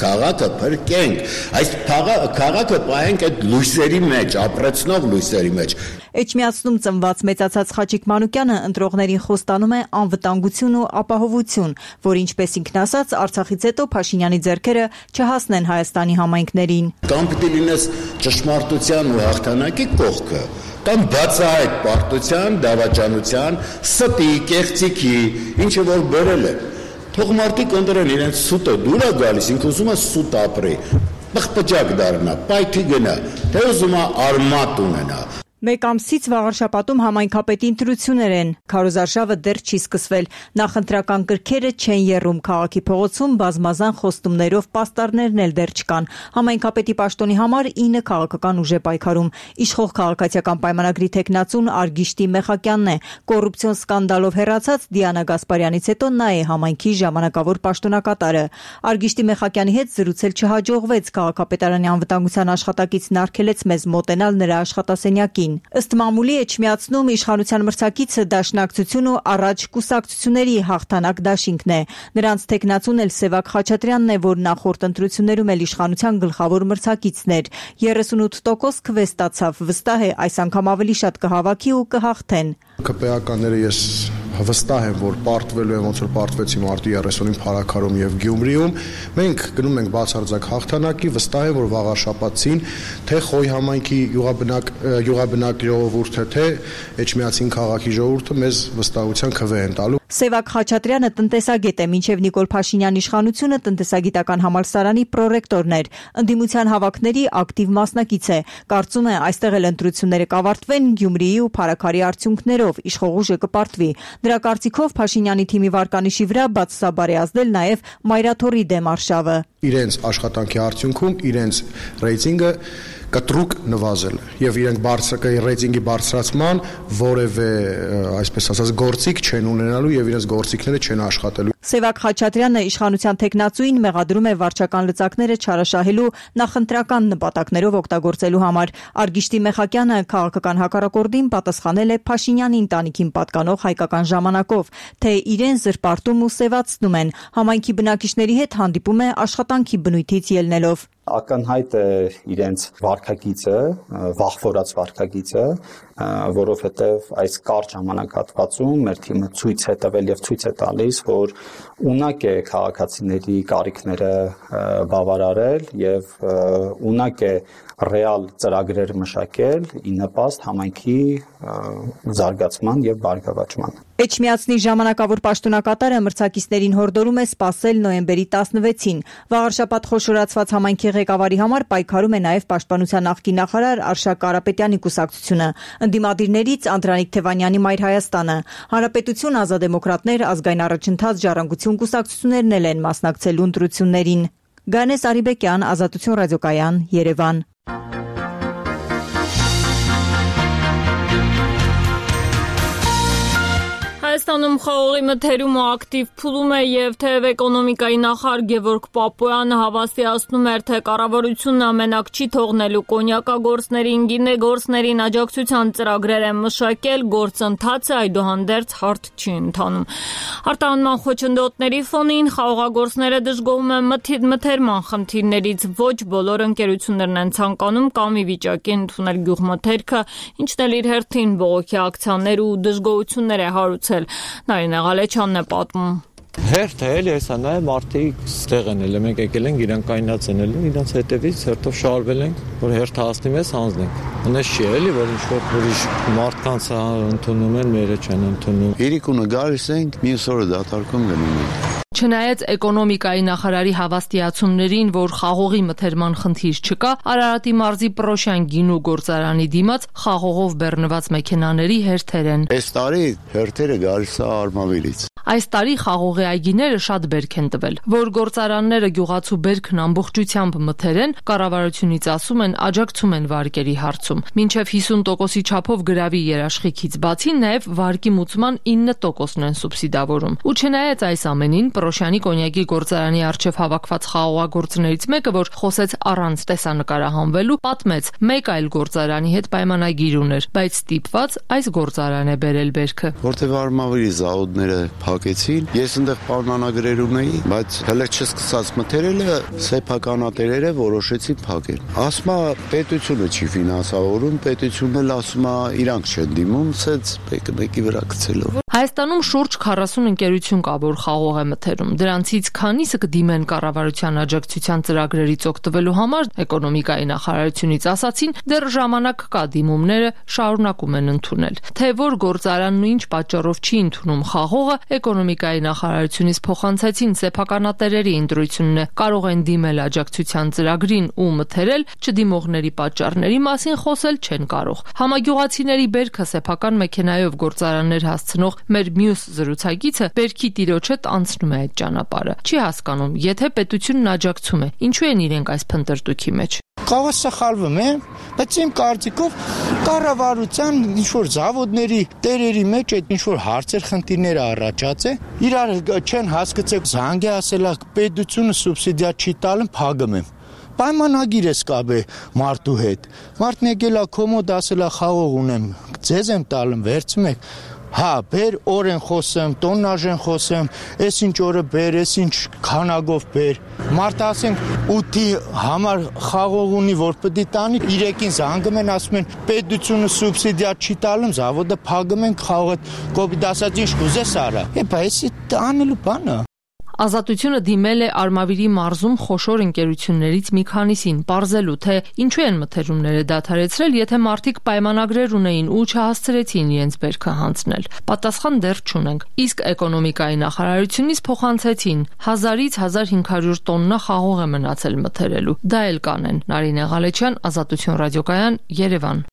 Speaker 11: քաղաքը փրկենք, այս քաղաքը պահենք այդ լույսերի մեջ, ապրեցնող լույսերի մեջ։
Speaker 7: Էջմիածնում ծնված մեծացած Խաչիկ Մանուկյանը ընտրողներին խոստանում է անվտանգություն ու ապահովություն, որ ինչպես ինքն ասաց, Արցախից հետո Փաշինյանի ձեռքերը չհասնեն Հայաստանի համայնքներին։
Speaker 11: Կամ պիտի լինես ճշմարտության ու հաղթանակի կողքը, կամ բացահայտ պարտության, դավաճանության, ստի, կեղծիքի, ինչը որ բերել է։ Թող մարդիկ ընտրեն իրենց սուտը դուր է գալիս, ինքը ուզում է սուտ ապրի, պղպջակ դառնա, պայթի գնա, թե ուզում է արմատ ունենա։
Speaker 7: 1 ամսից վաղ շաբաթում համայնքապետի ընտրություններ են։ Քարոզարշավը դեռ չի սկսվել։ Նախընտրական կրքերը չեն եռում քաղաքի փողոցում, բազմազան խոստումներով պաստառներն էլ դեռ չկան։ Համայնքապետի պաշտոնի համար 9 քաղաքական ուժ է պայքարում։ Իշխող քաղաքացիական պայմանագրի տեխնացուն Արգիշտի Մեխակյանն է։ Կոռուպցիոն սկանդալով հեռացած Դիանա Գասպարյանից հետո նա է համայնքի ժամանակավոր պաշտոնակատարը։ Արգիշտի Մեխակյանի հետ զրուցել չհաջողվեց, քաղաքապետարանի անվտանգության աշխատակիցն արգելեց մեզ մոտենալ նրա աշխատասենյակին։ Ըստ մամուլի Էջմիածնում իշխանության մրցակիցը Դաշնակցություն ու Առաջ կուսակցությունների հաղթանակ դաշինքն է։ Նրանց տեխնացուն էլ Սևակ Խաչատրյանն է, որ նախորդ ընտրություններում էլ իշխանության գլխավոր մրցակիցն էր։ 38% քվե ստացավ, վստահ է այս անգամ ավելի շատ կհավաքի ու կհաղթեն։
Speaker 12: ԿՊԱ-ականները ես վստահ եմ, որ պարտվելու են ոնց որ պարտվեցի մարտի 30-ին Փարաքարում եւ Գյումրիում։ Մենք գնում ենք բացարձակ հաղթանակի, վստահ եմ, որ վաղաշաբաթին թե Խոյ համայնքի յուղաբնակ ժողովուրդը, թե Էջմիածին քաղաքի ժողովուրդը մեզ վստահության քվե են տալու։
Speaker 7: Սևակ Խաչատրյանը տնտեսագետ է, մինչև Նիկոլ Փաշինյանի իշխանությունը տնտեսագիտական համալսարանի պրոռեկտորն էր։ Ընդդիմության հավաքների ակտիվ մասնակից է։ Կարծում է, այստեղ էլ ընտրությունները կավարտվեն Գյումրիի ու Փարաքարի արդյունքներով, իշխող ուժը կպարտվի։ Նրա կարծիքով Փաշինյանի թիմի վարկանիշի վրա բացասաբար է ազդել նաև Մայրաթորի դեմ արշավը։
Speaker 12: Իրենց աշխատանքի արդյունքում իրենց ռեյտինգը կտրուկ նվազել է եւ իրենք ռեյտինգի բարձրացման որևէ այսպես ասած գործիք չեն ունենալու եւ իրենց գործիքները չեն աշխատելու։
Speaker 13: Սևակ Խաչատրյանը իշխանության տեխնացուին մեղադրում է վարչական լծակները չարաշահելու նախընտրական նպատակներով օգտագործելու համար։ Արգիշտի Մեխակյանը քաղաքական հակառակորդին պատասխանել է Փաշինյանի ընտանիքին պատկանող հայկական ժամանակով, թե իրեն զրպարտում ու սևացնում են, համայնքի բնակիչների հետ հանդիպում է աշխատանքի բնույթից ելնելով։
Speaker 14: Ակնհայտ է իրենց վարքագիծը, վախվորած վարքագիծը, որովհետև այս կարճ ժամանակահատվածում մեր թիմը ցույց է տվել եւ ցույց է տալիս, որ ունակ է քաղաքացիների կարիքները բավարարել եւ ունակ է ռեալ ծրագրեր մշակել ի նպաստ համայնքի զարգացման եւ բարգավաճման։
Speaker 13: Էջմիածնի ժամանակավոր պաշտոնակատարը մրցակիցներին հորդորում է սպասել նոյեմբերի 16-ին։ Վաղարշաբաթ խոշորացված համայնքի ղեկավարի համար պայքարում է նաև Պաշտպանության նախկին նախարար Արշակ Կարապետյանի կուսակցությունը, ընդդիմադիրներից Անդրանիկ Թևանյանի Մայր Հայաստանը, Հանրապետություն, Ազատդեմոկրատներ, Ազգային առաջընթաց, Ժառանգություն կուսակցություններն էլ են մասնակցելու ընտրություններին։ Գանես Արիբեկյան, Ազատություն ռադիոկայան, Երևան։
Speaker 1: Հայաստանում խաղողի մթերումը ակտիվ փուլում է եւ թեև էկոնոմիկայի նախարար Գևորգ Պապոյանը հավաստիացնում էր, թե կառավարությունն ամենակ չի թողնելու կոնյակագործներին, գինեգործներին աջակցության ծրագրեր են մշակել, գործընթացը այդուհանդերձ հարթ չի ընթանում։ Արտահանման խոչընդոտների ֆոնին խաղողագործները դժգոհում են մթերման խնդիրներից, ոչ բոլոր ընկերություններն են ցանկանում կամ ի վիճակի ընդունել գյուղմթերքը, ինչն էլ իր հերթին բողոքի ակցիաներ ու դժգոհություններ է հարուցել։ Նարինե Ղալեչյանն է պատմում։
Speaker 15: Հերթը էլի հեսա նայ մարդիկ ստեղ են էլ մենք եկել ենք իրան կայնացնելու իրանց հետևից հերթով շարվել ենք որ հերթը հասնի մեզ հանձնենք այնպես չի էլի որ ինչ որ ուրիշ մարդկանց ընդունում են մերը չեն ընդունում
Speaker 16: իրիկունը գալիս ենք մյուս օրը դատարկում գնում ենք
Speaker 17: Չնայած էկոնոմիկայի նախարարի հավաստիացումներին, որ խաղողի մթերման խնդիր չկա, Արարատի մարզի Պրոշյան գինու գործարանի դիմաց խաղողով բեռնված մեքենաների հերթեր են։
Speaker 16: Այս տարի հերթերը գալիս է Արմավիրից։
Speaker 17: Այս տարի խաղողի այգիները շատ բերք են տվել, որ գործարանները գյուղացու բերքն ամբողջությամբ մթերեն, կառավարությունից ասում են աջակցում են վարկերի հարցում։ Մինչև 50%-ի չափով գրավի երաշխիքից բացի նաև վարկի մուծման 9%-ն են սուբսիդավորում։ Ու չնայած այս ամենին Պրոշյանի կոնյակի գործարանի արչև հավաքված խաղողագործներից մեկը, որ խոսեց առանց տեսանկարահանվելու, պատմեց մեկ այլ գործարանի հետ պայմանագիր ուներ, բայց ստիպված այս գործարան է բերել բերքը։
Speaker 16: Որտեւ Արմավիրի զաուդները փակեցին, ես այնտեղ պայմանագրեր ունեի, բայց հələ չսկսած մթերելը սեփականատերերը որոշեցին փակել։ Ասում է պետությունը չի ֆինանսավորում, պետությունն էլ ասում է իրանք չեն դիմում, սենց մեկի վրա գցելով։
Speaker 17: Հայաստանում շուրջ 40 ընկերություն կա, որ խաղող է մթերում։ Դրանցից քանիսը կդիմեն կառավարության աջակցության ծրագրերից օգտվելու համար, էկոնոմիկայի նախարարությունից ասացին, դեռ ժամանակ կա, դիմումները շարունակում են ընդունել։ Թե որ գործարանն ու ինչ պատճառով չի ընդունում խաղողը, էկոնոմիկայի նախարարությունից փոխանցեցին սեփականատերերի ընտրությունն է, կարող են դիմել աջակցության ծրագրին ու մթերել, չդիմողների պատճառների մասին խոսել չեն կարող։ Համագյուղացիների բերքը սեփական մեքենայով գործարաններ հասցնող մեր մյուս զրուցակիցը բերքի տիրոջ հետ անցնում է այդ ճանապարհը։ Չի հասկանում, եթե պետությունն աջակցում է, ինչու են իրենք այս փնտրտուքի մեջ։
Speaker 18: Կարող սխալվում է, բայց իմ կարծիքով կառավարության ինչ-որ զավոդների տերերի մեջ այդ ինչ-որ հարցեր խնդիրները առաջացե, իրար չեն հասկացել, զանգ է ասելա պետությունը սուբսիդիա չի տալում, փակում եմ։ Պայմանագիր ես կապե մարդու հետ։ Մարդն եկել է կոմոդ ասելա խաղող ունեմ, ձեզ եմ տալում, վերցում եք։ Հա, բեր օր են խոսեմ, տոննաժ են խոսեմ, ես ինչ օրը բեր, ես ինչ քանակով բեր։ Մարդ ասենք 8-ի համար խաղող ունի, որ պետք է տանի, 3-ին զանգում են, ասում են պետությունը սուբսիդիա չի տալում, զավոդը փակում են, խաղողը կոպիտ ասած ինչ կուզես արա։ Էպա, էսի անելու բան է։
Speaker 17: Ազատությունը դիմել է Արմավիրի մարզում խոշոր ընկերություններից մի քանիսին, պարզելու, թե ինչու են մթերումները դադարեցրել, եթե մարդիկ պայմանագրեր ունեին ու չհասցրեցին իրենց բերքը հանձնել։ Պատասխան դեռ չունենք։ Իսկ էկոնոմիկայի նախարարությունից փոխանցեցին 1000-ից 1500 տոննա խաղող է մնացել մթերելու։ Դա էլ կանեն։ Նարինե Ղալեչյան, Ազատություն ռադիոկայան, Երևան։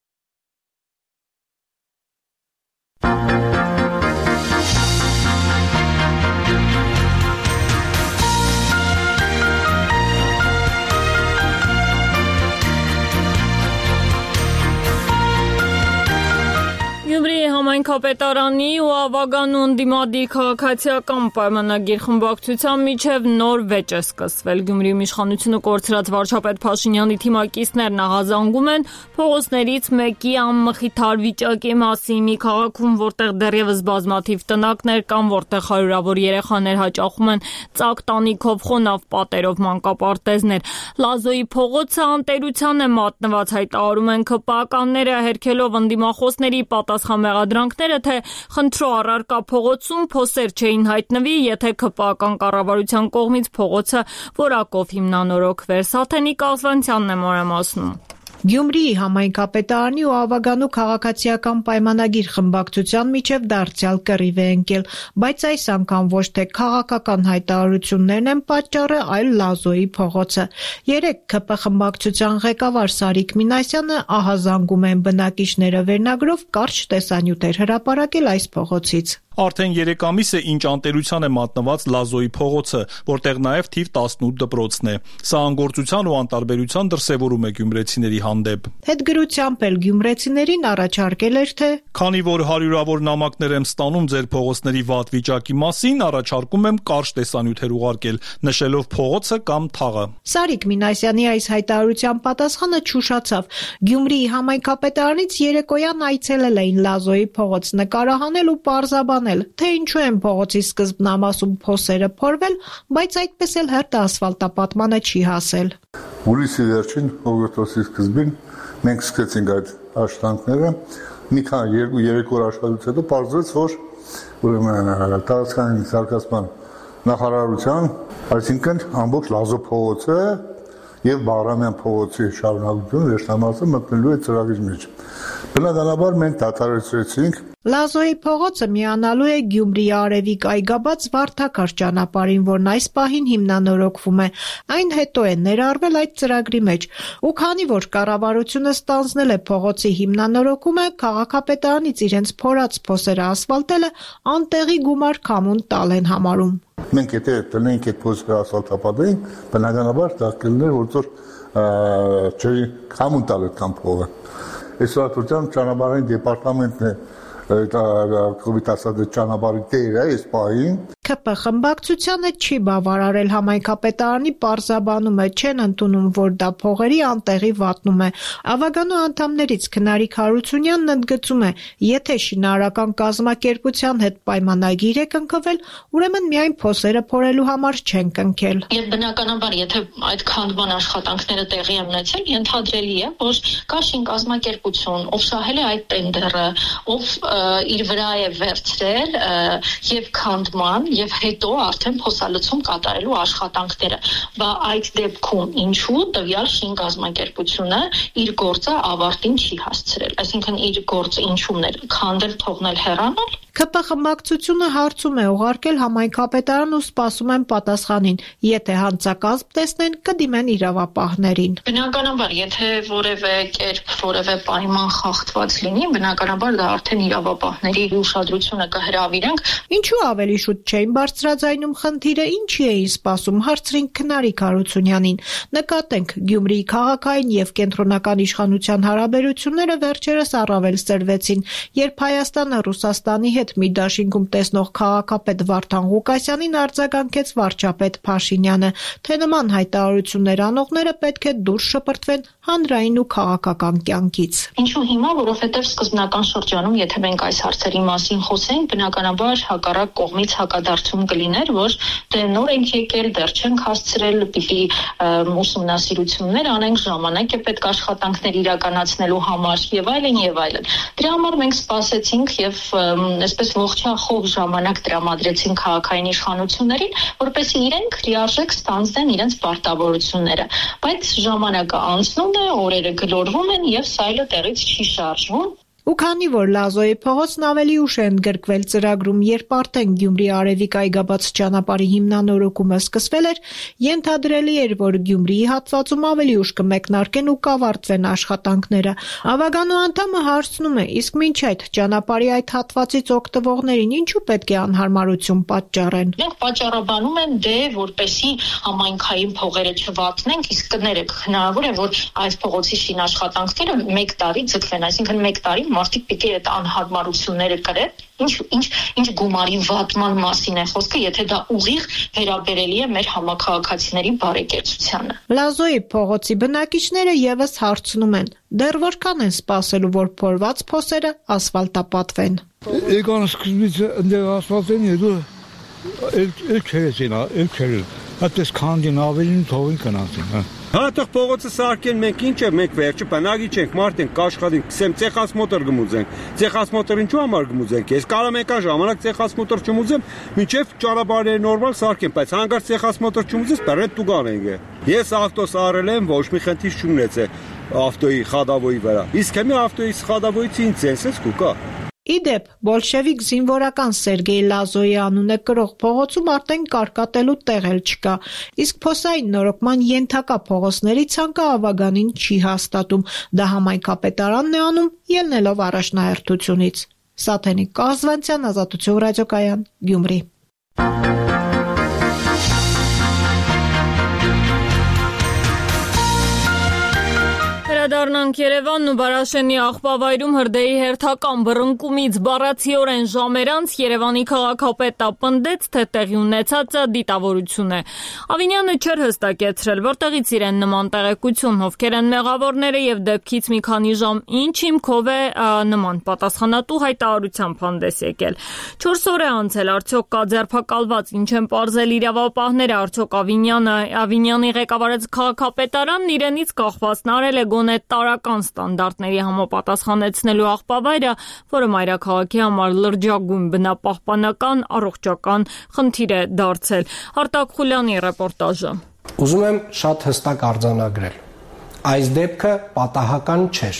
Speaker 1: համայնքապետարանի ու Ավագանու ընդդիմադիր քաղաքացիական պայմանագիր խմբակցության միջև նոր վեճ է սկսվել։ Գյումրիում իշխանությունը կորցրած վարչապետ Փաշինյանի թիմակիցներն աղազանգում են փողոցներից մեկի անմխիթար վիճակի մասին։ Մի քաղաքում, որտեղ դեռևս բազմաթիվ տնակներ կան, որտեղ հարյուրավոր երեխաներ հաճախում են ծակ տանիքով, խոնավ պատերով մանկապարտեզներ։ Լազոյի փողոցը անտերության է մատնված, հայտարարում են ԿՊԱ-ականները, հերքելով ընդդիմախոսների պատասխան մեղադրանքները, թե խնդրո առարկա փողոցում փոսեր չէին հայտնվի, եթե ԿՊԱ-ական կառավարության կողմից փողոցը որակով հիմնանորոգվեր։ Սաթենիկ Աղվանցյանն է մանրամասնում։
Speaker 19: Գյումրիի համայնքապետարանի ու Ավագանու քաղաքացիական պայմանագիր խմբակցության միջև դարձյալ կռիվ է ընկել, բայց այս անգամ ոչ թե քաղաքական հայտարարություններն են պատճառը, այլ Լազոյի փողոցը։ Երեկ ԿՊ խմբակցության ղեկավար Սարիկ Մինասյանը ահազանգում են բնակիչները վերնագրով կարճ տեսանյութեր հրապարակել այս փողոցից։
Speaker 4: Արդեն 3 ամիս է ինչ անտերության է մատնված Լազոյի փողոցը, որտեղ նաև թիվ 18 դպրոցն է։ Սա անգործության ու անտարբերության դրսևորում է գյումրեցիների հանդեպ։
Speaker 19: Հետգրությամբ էլ գյումրեցիներին առաջարկել էր, թե
Speaker 4: քանի որ հարյուրավոր նամակներ եմ ստանում ձեր փողոցների վատ վիճակի մասին, առաջարկում եմ կարճ տեսանյութեր ուղարկել, նշելով փողոցը կամ թաղը։
Speaker 19: Սարիկ Մինասյանի այս հայտարարության պատասխանը չուշացավ։ Գյումրիի համայնքապետարանից երեկոյան այցելել էին Լազոյի փողոց նկարահանել ու պարզաբանել, թե ինչու են փողոցի սկզբնամասում փոսերը փորվել, բայց այդպես էլ հերթ ասֆալտապատմանը չի հասել։
Speaker 20: Հուլիսի վերջին օգոստոսի սկզբին մենք սկսեցինք այդ աշխատանքները, մի քանի 2-3 օր աշխատելուց հետո պարզվեց, որ ուրեմն տարածքային զարգացման նախարարության, այսինքն ամբողջ Լազո փողոցը եւ Բաղրամյան փողոցի շարունակությունը վերջնամասը մտնելու է ծրագրի մեջ։ Բնականաբար մենք դադարեցրեցինք։
Speaker 19: Լազոյի փողոցը միանալու է Գյումրիի արևիկ այգաբաց Վարդակար ճանապարհին, որն այս պահին հիմնանորոգվում է։ Այն հետո է ներառվել այդ ծրագրի մեջ։ Ու քանի որ կառավարությունը ստանձնել է փողոցի հիմնանորոգումը, քաղաքապետարանից իրենց փորած փոսերը ասֆալտելը անտեղի գումար քամուն տալ են համարում։
Speaker 20: Մենք եթե տնենք այդ փոսերը ասֆալտապատեին, բնականաբար դա կլիներ որտեղ չէ քամուն տալ այդքան փողը։ Այսօր ճանապարհային դեպարտամենտն է կոմիտասադը ճանապարհի տերը այս պահին։
Speaker 19: ԿՊ խմբակցությանը չի բավարարել համայնքապետարանի պարզաբանումը, չեն ընդունում, որ դա փողերի անտեղի վատնում է։ Ավագանու անդամներից Քնարիկ Հարությունյանն ընդգծում է, եթե շինարարական կազմակերպության հետ պայմանագիր է կնքվել, ուրեմն միայն փոսերը փորելու համար չեն կնքել։
Speaker 21: Եվ բնականաբար, եթե այդ քանդման աշխատանքները տեղի են ունեցել, ենթադրելի է, որ կա շինկազմակերպություն, ով շահել է այդ տենդերը, ով իր վրա է վերցրել եւ քանդման եւ հետո արդեն փոսալցում կատարելու աշխատանքները։ Բա այդ դեպքում ինչու տվյալ շինկազմակերպությունը իր գործը ավարտին չի հասցրել։ Այսինքն իր գործը ինչու՞մն էր, քանդել, թողնել, հեռանալ։
Speaker 19: ԿՊ խմբակցությունը հարցում է ուղարկել համայնքապետարան ու սպասում են պատասխանին։ Եթե հանցակազմ տեսնեն, կդիմեն իրավապահներին։
Speaker 21: Բնականաբար, եթե որևէ կերպ, որևէ պայման խախտված լինի, բնականաբար դա արդեն իրավապահների ուշադրությունը կհրավիրենք։
Speaker 19: Ինչու ավելի շուտ չէին բարձրաձայնում խնդիրը, ինչի էին սպասում, հարցրին Քնարիկ Հարությունյանին։ Նկատենք, Գյումրիի քաղաքային եւ կենտրոնական իշխանության հարաբերությունները վերջերս առավել սրվեցին, երբ Հայաստանը Ռուսաստանի հետ մի դաշինքում տեսնող քաղաքապետ Վարդան Ղուկասյանին արձագանքեց վարչապետ Փաշինյանը, թե նման հայտարարություններ անողները պետք է դուրս շպրտվեն հանրային ու քաղաքական կյանքից։
Speaker 21: Ինչու հիմա, որովհետև սկզբնական շրջանում, եթե մենք այս հարցերի մասին խոսենք, բնականաբար հակառակ կողմից հակադարձում կլիներ, որ դե նոր ենք եկել, դեռ չենք հասցրել, պիտի ուսումնասիրություններ անենք, ժամանակ է պետք աշխատանքներ իրականացնելու համար եւ այլն եւ այլն։ Դրա համար մենք սպասեցինք եւ այսպես ողջախոհ ժամանակ տրամադրեցին քաղաքային իշխանություններին, որպեսզի իրենք լիարժեք ստանձնեն իրենց պարտավորությունները, բայց ժամանակը անցնում է, օրերը գլորվում են եւ սայլը տեղից չի շարժվում։
Speaker 19: Ու քանի որ Լազոյի փողոցն ավելի ուշ է ընդգրկվել ծրագրում, երբ արդեն Գյումրի արևիկ այգաբաց ճանապարհի հիմնանորոգումը սկսվել էր, ենթադրելի էր, որ Գյումրիի հատվածում ավելի ուշ կմեկնարկեն ու կավարտվեն աշխատանքները։ Ավագանու անդամը հարցնում է, իսկ մինչ այդ ճանապարհի այդ հատվածից օգտվողներին ինչու պետք է անհարմարություն պատճառեն։
Speaker 21: Մենք պատճառաբանում են դե որպեսի համայնքային փողերը չվատնենք, իսկ կներեք հնարավոր է, որ այս փողոցի շինաշխատանքները 1 տարի ձգվեն, այսինքն 1 տարի մարդիկ պիտի այդ անհարմարությունները կրեն, ինչ գումարի վատման մասին է խոսքը, եթե դա ուղիղ վերաբերելի է մեր համակարգացիների բարեկեցությանը։
Speaker 19: Լազոյի փողոցի բնակիչները եւս հարցնում են. դեռ որքան են սպասելու, որ փորված փոսերը ասֆալտապատվեն։
Speaker 2: Եկան սկզբից այնտեղ ասֆալտեն հետո էլ այդպես քանդին ավելին թողին կնացին, հա։
Speaker 22: Հատեղ փողոցը սարքեն մենք ինչ է, մենք վերջը բնակի չենք, մարդ ենք, կաշխատենք, քսեմ ցեխասմոտոր գմուզենք։ Ցեխասմոտորին ինչու համար գմուզենք։ Ես կարող եմ եկան ժամանակ ցեխասմոտոր չմուզեմ, մինչև ճանապարհները նորմալ սարքեմ, բայց հանգարց ցեխասմոտոր չմուզես, բռետ դու գանենք։ Ես ավտոս արել եմ, ոչ մի խնդիր չունեցե ավտոյի խադավոյի վրա։ Իսկ հիմա ավտոյի խադավոյից ինչ ցենսես կուկա։
Speaker 19: Իդեպ, բոլշևիկ զինվորական Սերգեյ Լազոյի անունը կրող փողոցում արդեն կարկատելու տեղ էլ չկա, իսկ փոսային նորոգման ենթակա փողոցների ցանկը ավագանին չի հաստատում, դա համայնքապետարանն է անում, ելնելով առաջնահերթությունից։ Սաթենիկ Կազվանցյան, Ազատություն ռադիոկայան, Գյումրի։
Speaker 1: Վերադառնանք Երևանն ու Բարաշենի աղբավայրում հրդեհի հերթական բռնկումից բառացիորեն ժամեր անց Երևանի քաղաքապետը պնդեց, թե տեղի ունեցածը դիտավորություն է։ Ավինյանը չէր հստակեցրել, որտեղից իրեն նման տեղեկություն, ովքեր են մեղավորները եւ դեպքից մի քանի ժամ ինչ հիմքով է նման պատասխանատու հայտարարությամբ հանդես եկել։ 4 օր է անցել, արդյոք կա ձերբակալված, ինչ են պարզել իրավապահները, արդյոք Ավինյանի ղեկավարած քաղաքապետարանն իրենից կախվածն արել է գոնե տարական ստանդարտների համապատասխանեցնելու աղբավայրը, որը մայրաքաղաքի համար լրջագույն բնապահպանական առողջական խնդիր է դարձել։ Արտակ Խուլյանի ռեպորտաժը։
Speaker 23: Ուզում եմ շատ հստակ արձանագրել. այս դեպքը պատահական չէր,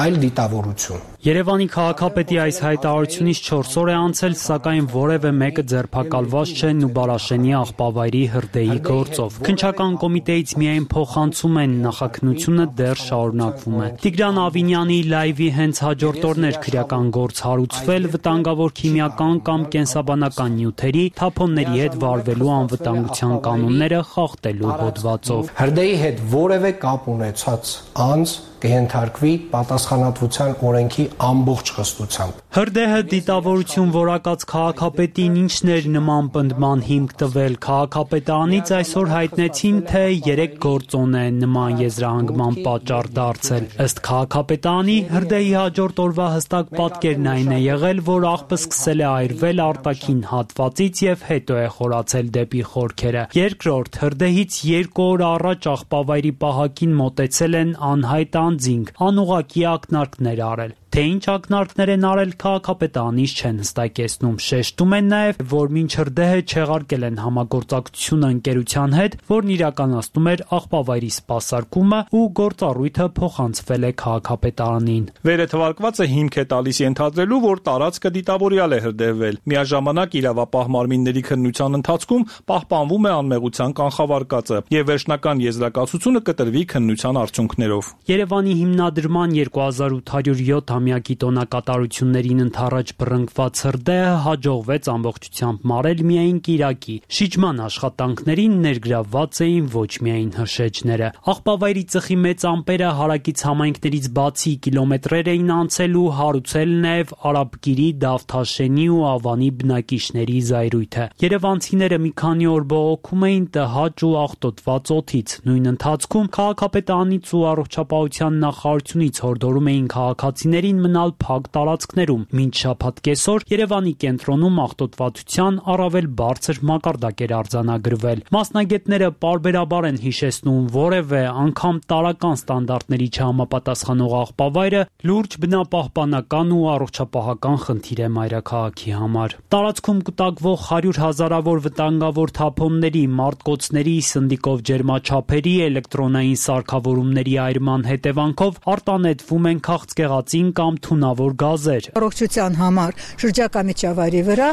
Speaker 23: այլ դիտավորություն։
Speaker 24: Երևանի քաղաքապետի այս հայտարարությունից 4 օր է անցել, սակայն որևէ մեկը ձերբակալված չէ Նուբարաշենի աղբավայրի հրդեհի գործով։ Քննչական կոմիտեից միայն փոխանցում են, նախաքննությունը դեռ շարունակվում է։ Տիգրան Ավինյանի լայվի հենց հաջորդ օրն էր քրեական գործ հարուցվել վտանգավոր քիմիական կամ կենսաբանական նյութերի, թափոնների հետ վարվելու անվտանգության կանոնները խախտելու հոդվածով։
Speaker 23: Հրդեհի հետ որևէ կապ ունեցած անձ կհենթարկվի պատասխանատվության օրենքի ամբողջ խստությամբ։
Speaker 24: Հրդեհը դիտավորություն որակած քաղաքապետին ինչն էր նման պնդման հիմք տվել։ Քաղաքապետարանից այսօր հայտնեցին, թե 3 գործոն է նման եզրահանգման պատճառ դարձել։ Ըստ քաղաքապետարանի հրդեհի հաջորդ օրվա հստակ պատկերն այն է եղել, որ աղբը սկսել է այրվել արտաքին հատվածից եւ հետո է խորացել դեպի խորքերը։ Երկրորդ, հրդեհից 2 օր առաջ աղբավայրի պահակին մոտեցել են անհայտ անձինք, անուղղակի ակնարկներ արել։ Թե ինչ ակնարկներ են արել, քաղաքապետարանից չեն հստակեցնում։ Շեշտում են նաև, որ մինչ հրդեհը չեղարկել են համագործակցությունը ընկերության հետ, որն իրականացնում էր աղբավայրի սպասարկումը ու գործառույթը փոխանցվել է քաղաքապետարանին։
Speaker 4: Վերը թվարկվածը հիմք է տալիս ենթադրելու, որ տարածքը դիտավորյալ է հրդեհվել։ Միաժամանակ իրավապահ մարմինների քննության ընթացքում պահպանվում է անմեղության կանխավարկածը եւ վերջնական եզրակացությունը կտրվի քննության արդյունքներով։
Speaker 24: Երևանի հիմնադրման 2807 ամյակի տոնակատարություններին ընթառաջ բռնկված հրդեհը հաջողվեց ամբողջությամբ մարել միայն կիրակի։ Շիճման աշխատանքներին ներգրավված էին ոչ միայն հրշեջները։ Աղբավայրի ծխի մեծ ամպերը հարակից համայնքներից բացի կիլոմետրեր էին անցել ու հարուցել նաև Արաբկիրի, Դավթաշենի ու Ավանի բնակիչների զայրույթը։ Երևանցիները մի քանի օր բողոքում էին տհաճ ու աղտոտված օդից։ Նույն ընթացքում քաղաքապետարանից ու առողջապահության նախարարությունից հորդորում էին քաղաքացիներին մնալ փակ տարածքներում։ Մինչ շաբաթ կեսօր Երևանի կենտրոնում աղտոտվածության առավել բարձր մակարդակ էր արձանագրվել։ Մասնագետները պարբերաբար են հիշեցնում, որևէ անգամ տարական ստանդարտների չհամապատասխանող աղբավայրը լուրջ բնապահպանական ու առողջապահական խնդիր է մայրաքաղաքի համար։ Տարածքում կուտակվող 100 հազարավոր վտանգավոր թափոնների, մարտկոցների, սնդիկով ջերմաչափերի, էլեկտրոնային սարքավորումների այրման հետևանքով արտանետվում են քաղցկեղածին կամ թունավոր գազեր։
Speaker 25: Առողջության համար շրջակա միջավայրի վրա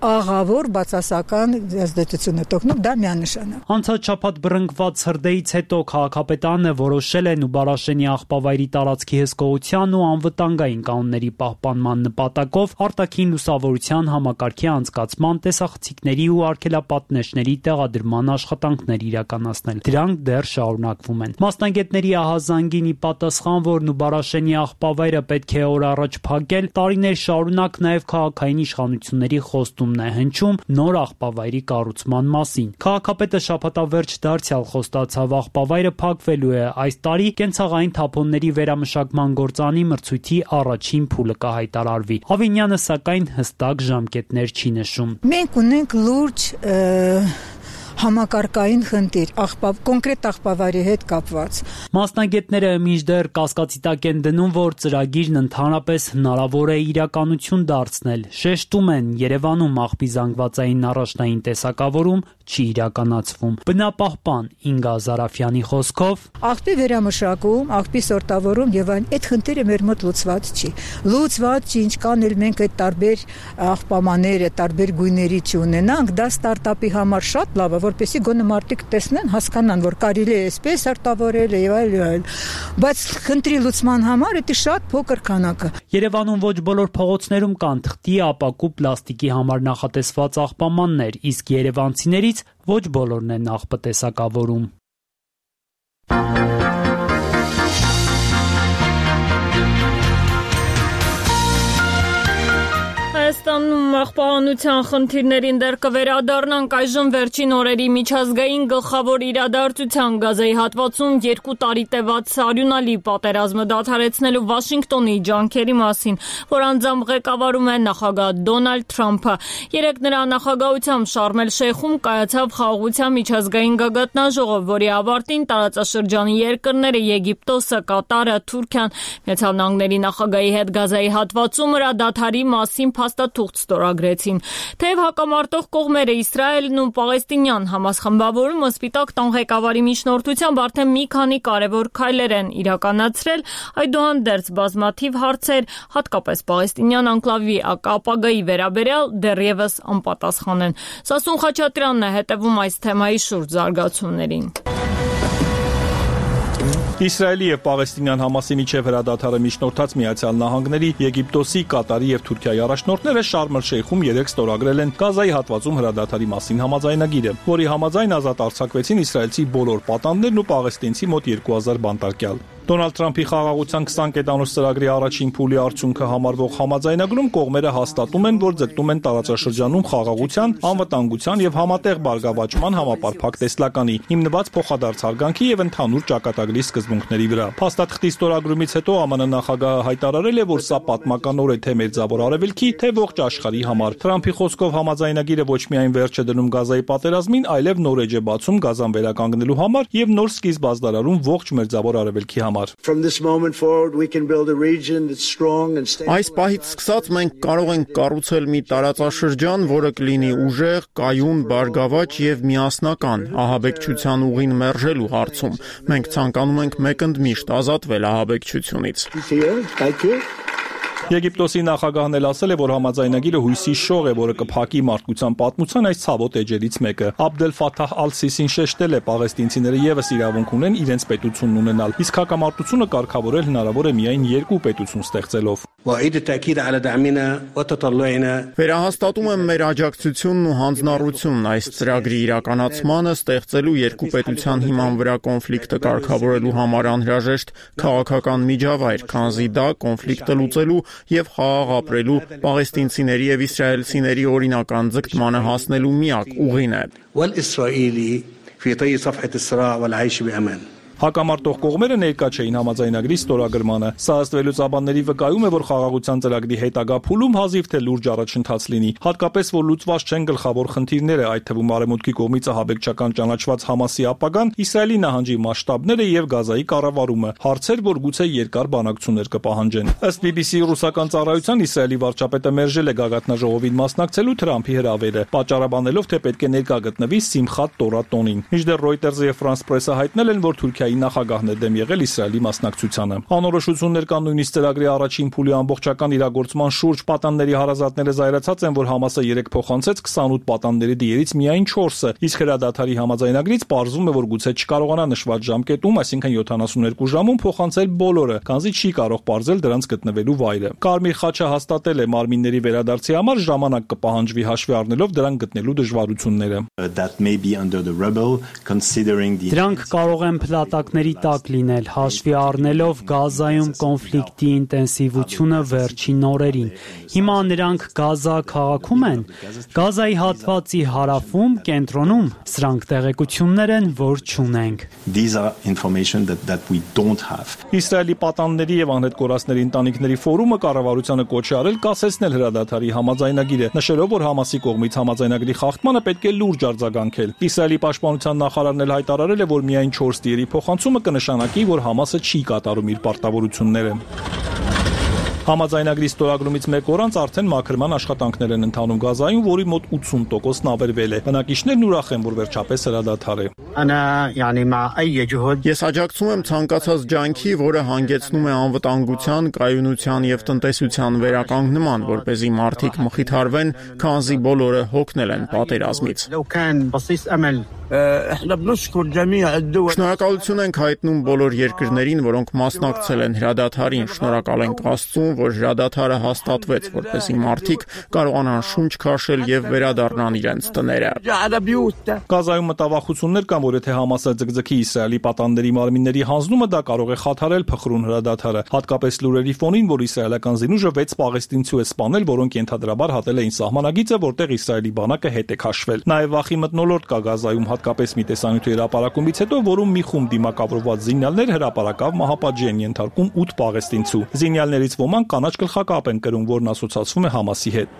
Speaker 25: աղավոր բացասական ազդեցություն է տոկնում, դա միանշանակ։
Speaker 24: Անցած շաբաթ բռնկված հրդեհից հետո քաղաքապետարանը որոշել է Նուբարաշենի աղբավայրի տարածքի հսկողության ու անվտանգային կանոնների պահպանման նպատակով արտաքին լուսավորության համակարգի անցկացման, տեսախցիկների ու արգելապատնեշների տեղադրման աշխատանքներ իրականացնել։ Դրանք դեռ շարունակվում են։ Մասնագետների ահազանգին ի պատասխան, որ Նուբարաշենի աղբավայրի աղբավայրը պետք է օր առաջ փակել, տարիներ շարունակ նաև քաղաքային իշխանությունների խոստումն է հնչում նոր աղբավայրի կառուցման մասին։ Քաղաքապետը շաբաթավերջ դարձյալ խոստացավ աղբավայրը փակվելու է այս տարի, կենցաղային թափոնների վերամշակման գործանի մրցույթի առաջին փուլը կհայտարարվի։ Ավինյանը սակայն հստակ ժամկետներ չի նշում։
Speaker 25: Մենք ունենք լուրջ համակարգային խնդիր, կոնկրետ աղբավայրի հետ կապված։
Speaker 24: Մասնագետները մինչդեռ կասկածի տակ են դնում, որ ծրագիրն ընդհանրապես հնարավոր է իրականություն դարձնել։ Շեշտում են, Երևանում աղբի զանգվածային առաջնային տեսակավորում չի իրականացվում։ Բնապահպան Ինգա Զարաֆյանի խոսքով
Speaker 25: աղբի վերամշակում, աղբի սորտավորում եւ այն այդ խնդիրը մեր մոտ լուծված չի։ Լուծված չի, ինչքան էլ մենք այդ տարբեր աղբամաները, տարբեր գույների չունենանք, դա ստարտափի համար շատ լավ է, որպեսզի գոնե մարդիկ տեսնեն, հասկանան, որ կարելի է այսպես արտավորել եւ այլ։ Բայց խնդրի լուծման համար դա շատ փոքր քանակ է։
Speaker 24: Երևանում ոչ բոլոր փողոցներում կան թղթի, ապակու, պլաստիկի համար նախատեսված աղբամաններ, իսկ երևանցիներից ոչ բոլորն են աղբատեսակավորում։
Speaker 1: Հայաստանում աղբահանության խնդիրներին դեռ կվերադառնանք այժմ վերջին օրերի միջազգային գլխավոր իրադարձության գազայի հատվածում 2 տարի տևած արյունալի պատերազմը դադարեցնելու Վաշինգտոնի ջանքերի մասին, որ անձամբ ղեկավարում է նախագահ Դոնալդ Թրամփը։ Երեկ նրա նախագահությամբ Շարմ էլ-Շեյխում կայացավ խաղաղության միջազգային գագաթնաժողով, որի ավարտին տարածաշրջանի երկրները Եգիպտոսը, Կատարը, Թուրքիան Միացյալ Նահանգների նախագահի հետ գազայի հատվածում հրադադարի մասին փաստաթուղթ ստորագրեցին։ Թեև հակամարտող կողմերը Իսրայելն ու Պաղեստինյան Համաս խմբավորումը Սպիտակ տան ղեկավարի միջնորդությամբ արդեն մի քանի կարևոր քայլեր են իրականացրել, այդուհանդերձ բազմաթիվ հարցեր, հատկապես Պաղեստինյան անկլավի ապագայի վերաբերյալ դեռևս անպատասխան են։ Սասուն Խաչատրյանն է հետևում այս թեմայի շուրջ զարգացումներին։
Speaker 4: Իսրայելի եւ Պաղեստինյան Համասի միջև հրադադարը միջնորդած Միացյալ Նահանգների, Եգիպտոսի, Կատարի եւ Թուրքիայի առաջնորդները Շարմ էլ-Շեյխում երեկ ստորագրել են գազայի հատվածում հրադադարի մասին համաձայնագիրը, որի համաձայն ազատ արձակվեցին իսրայելցի բոլոր պատանդներն ու պաղեստինցի մոտ 2000 բանտարկյալ։ Դոնալդ Թրամփի խաղաղության 20 կետանոց ծրագրի առաջին փուլի արդյունքը համարվող համաձայնագրում կողմերը հաստատում են, որ ձգտում են տարածաշրջանում խաղաղության, անվտանգության եւ համատեղ բարգավաճման համապարփակ տեսլականի, հիմնված փոխադարձ հարգանքի եւ ընդհանուր ճակատագրի սկզբունքների վրա։ Փաստաթղթի ստորագրումից հետո ԱՄՆ նախագահը հայտարարել է, որ սա պատմականոր է թե Մերձավոր Արևելքի, թե ողջ աշխարհի համար։ Թրամփի խոսքով համաձայնագիրը ոչ միայն վերջ է դնում գազայի պատերազմին, այլև նոր էջ է բացում գազան վերականգնելու համար եւ նոր սկիզբ ազդարարում ողջ Մերձավոր Արևելքի համար։
Speaker 3: Այս պահից սկսած մենք կարող ենք կառուցել մի տարածաշրջան, որը կլինի ուժեղ, կայուն, բարգավաճ եւ միասնական ահաբեկչության ուղին մերժելու հարցում։ Մենք ցանկանում ենք մեկընդմիշտ ազատվել ահաբեկչությունից։
Speaker 4: Եգիպտոսի նախագահն էլ ասել է, որ համաձայնագիրը հույսի շող է, որը կփակի մարդկության պատմության այս ցավոտ էջերից մեկը։ Աբդել Ֆաթահ Ալ-Սիսին շեշտել է, պաղեստինցիները եւս իրավունք ունեն իրենց պետությունն ունենալ, իսկ հակամարտությունը կարգավորել հնարավոր է միայն երկու պետություն ստեղծելով։
Speaker 3: Վերահաստատում եմ մեր աջակցությունն ու հանձնառությունն այս ծրագրի իրականացմանը, ստեղծելու երկու պետության հիման վրա կոնֆլիկտը կարգավորելու համար անհրաժեշտ քաղաքական միջավայր, քանզի դա կոնֆլիկտը լուծելու եւ խաղաղ ապրելու պաղեստինցիների եւ իսրայելցիների օրինական ձգտմանը հասնելու միակ ուղին է։
Speaker 4: Հակամարտող կողմերը ներկա չէին համաձայնագրի ստորագրմանը։ Սա ըստ վերլուծաբանների վկայում է, որ խաղաղության ծրագրի հետագա փուլում հազիվ թե լուրջ առաջընթաց լինի, հատկապես որ լուծված չեն գլխավոր խնդիրները, այդ թվում արևմուտքի կողմից ահաբեկչական ճանաչված Համասի ապագան, Իսրայելի նահանջի մասշտաբները եւ Գազայի կառավարումը, հարցեր, որ գուցե երկար բանակցություններ կպահանջեն։ Ըստ BBC ռուսական ծառայության Իսրայելի վարչապետը մերժել է գագաթնաժողովին մասնակցելու Թրամփի հրավերը, պատճառաբանելով, թե պետք է ներկա գտնվի Սիմխաթ Տորա տոնին։ Մինչդեռ Reuters-ը եւ France Press-ը հայտնել են, որ Թուրքիայի նախագահն է դեմ եղել Իսրայելի մասնակցությանը։ Անորոշություններ կան նույնիսկ ծրագրի առաջին փուլի ամբողջական իրագործման շուրջ։ Պատանների հարազատները զայրացած են, որ Համասը 3 փոխանցեց 28 պատանների դիերից միայն 4-ը, իսկ հրադադարի համաձայնագրից պարզվում է, որ գուցե չկարողանա նշված ժամկետում, այսինքն 72 ժամում փոխանցել բոլորը, քանզի չի կարող պարզել դրանց գտնվելու վայրը։ Կարմիր խաչը հաստատել է մարմինների վերադարձի համար ժամանակ կպահանջվի հաշվի առնելով դրանք գտնելու դժվարությունները։
Speaker 24: Դրանք կարող են նպատակների տակ լինել, հաշվի առնելով Գազայում կոնֆլիկտի ինտենսիվությունը վերջին օրերին։ Հիմա նրանք Գազա քաղաքում են, Գազայի հատվածի հարավում, կենտրոնում, սրանք տեղեկություններ են, որ չունենք։
Speaker 4: Իսրայելի պատանների եւ անհետ կորածների ընտանիքների ֆորումը կառավարությանը կոչ է արել կասեցնել հրադադարի համաձայնագիրը, նշելով, որ Համասի կողմից համաձայնագրի խախտմանը պետք է լուրջ արձագանքել։ Իսրայելի պաշտպանության նախարարն էլ հայտարարել է, որ միայն 4 տիերի փոխանցումը կնշանակի, որ Համասը չի կատարում իր պարտավորությունները։ Համաձայնագրի ստորագրումից մեկ օր անց արդեն մաքրման աշխատանքներ են ընթանում Գազայում, որի մոտ 80%-ն ավերվել է։ Բնակիչներն ուրախ են, որ վերջապես հրադադար է։
Speaker 3: Ես աջակցում եմ ցանկացած ջանքի, որը հանգեցնում է անվտանգության, կայունության եւ տնտեսության վերականգնման, որպեսզի մարդիկ մխիթարվեն, քանզի բոլորը հոգնել են պատերազմից։ Շնորհակալություն ենք հայտնում բոլոր երկրներին, որոնք մասնակցել են հրադադարին, շնորհակալ ենք Աստծուն, որ հրադադարը հաստատվեց, որպեսզի մարդիկ կարողանան շունչ քաշել եւ վերադառնան իրենց տները։
Speaker 4: Գազայում մտավախություններ կան, որ եթե Համասը ձգձգի Իսրայելի պատանների մարմինների հանձնումը, դա կարող է խաթարել փխրուն հրադադարը, հատկապես լուրերի ֆոնին, որ իսրայելական զինուժը 6 պաղեստինցու է սպանել, որոնք ենթադրաբար հատել էին սահմանագիծը, որտեղ Իսրայելի բանակը հետ է քաշվել։ Նաեւ վախի մթնոլորտ կա Գազայում, հատկապես մի տեսանյութի հրապարակումից հետո, որում մի խումբ դիմակավորված զինյալներ հրապարակավ մահապատժի են ենթարկում 8 պաղեստինցու։ Զինյալներից ոմանք կանաչ գլխակապ են կրում, որն ասոցացվում է Համասի հետ։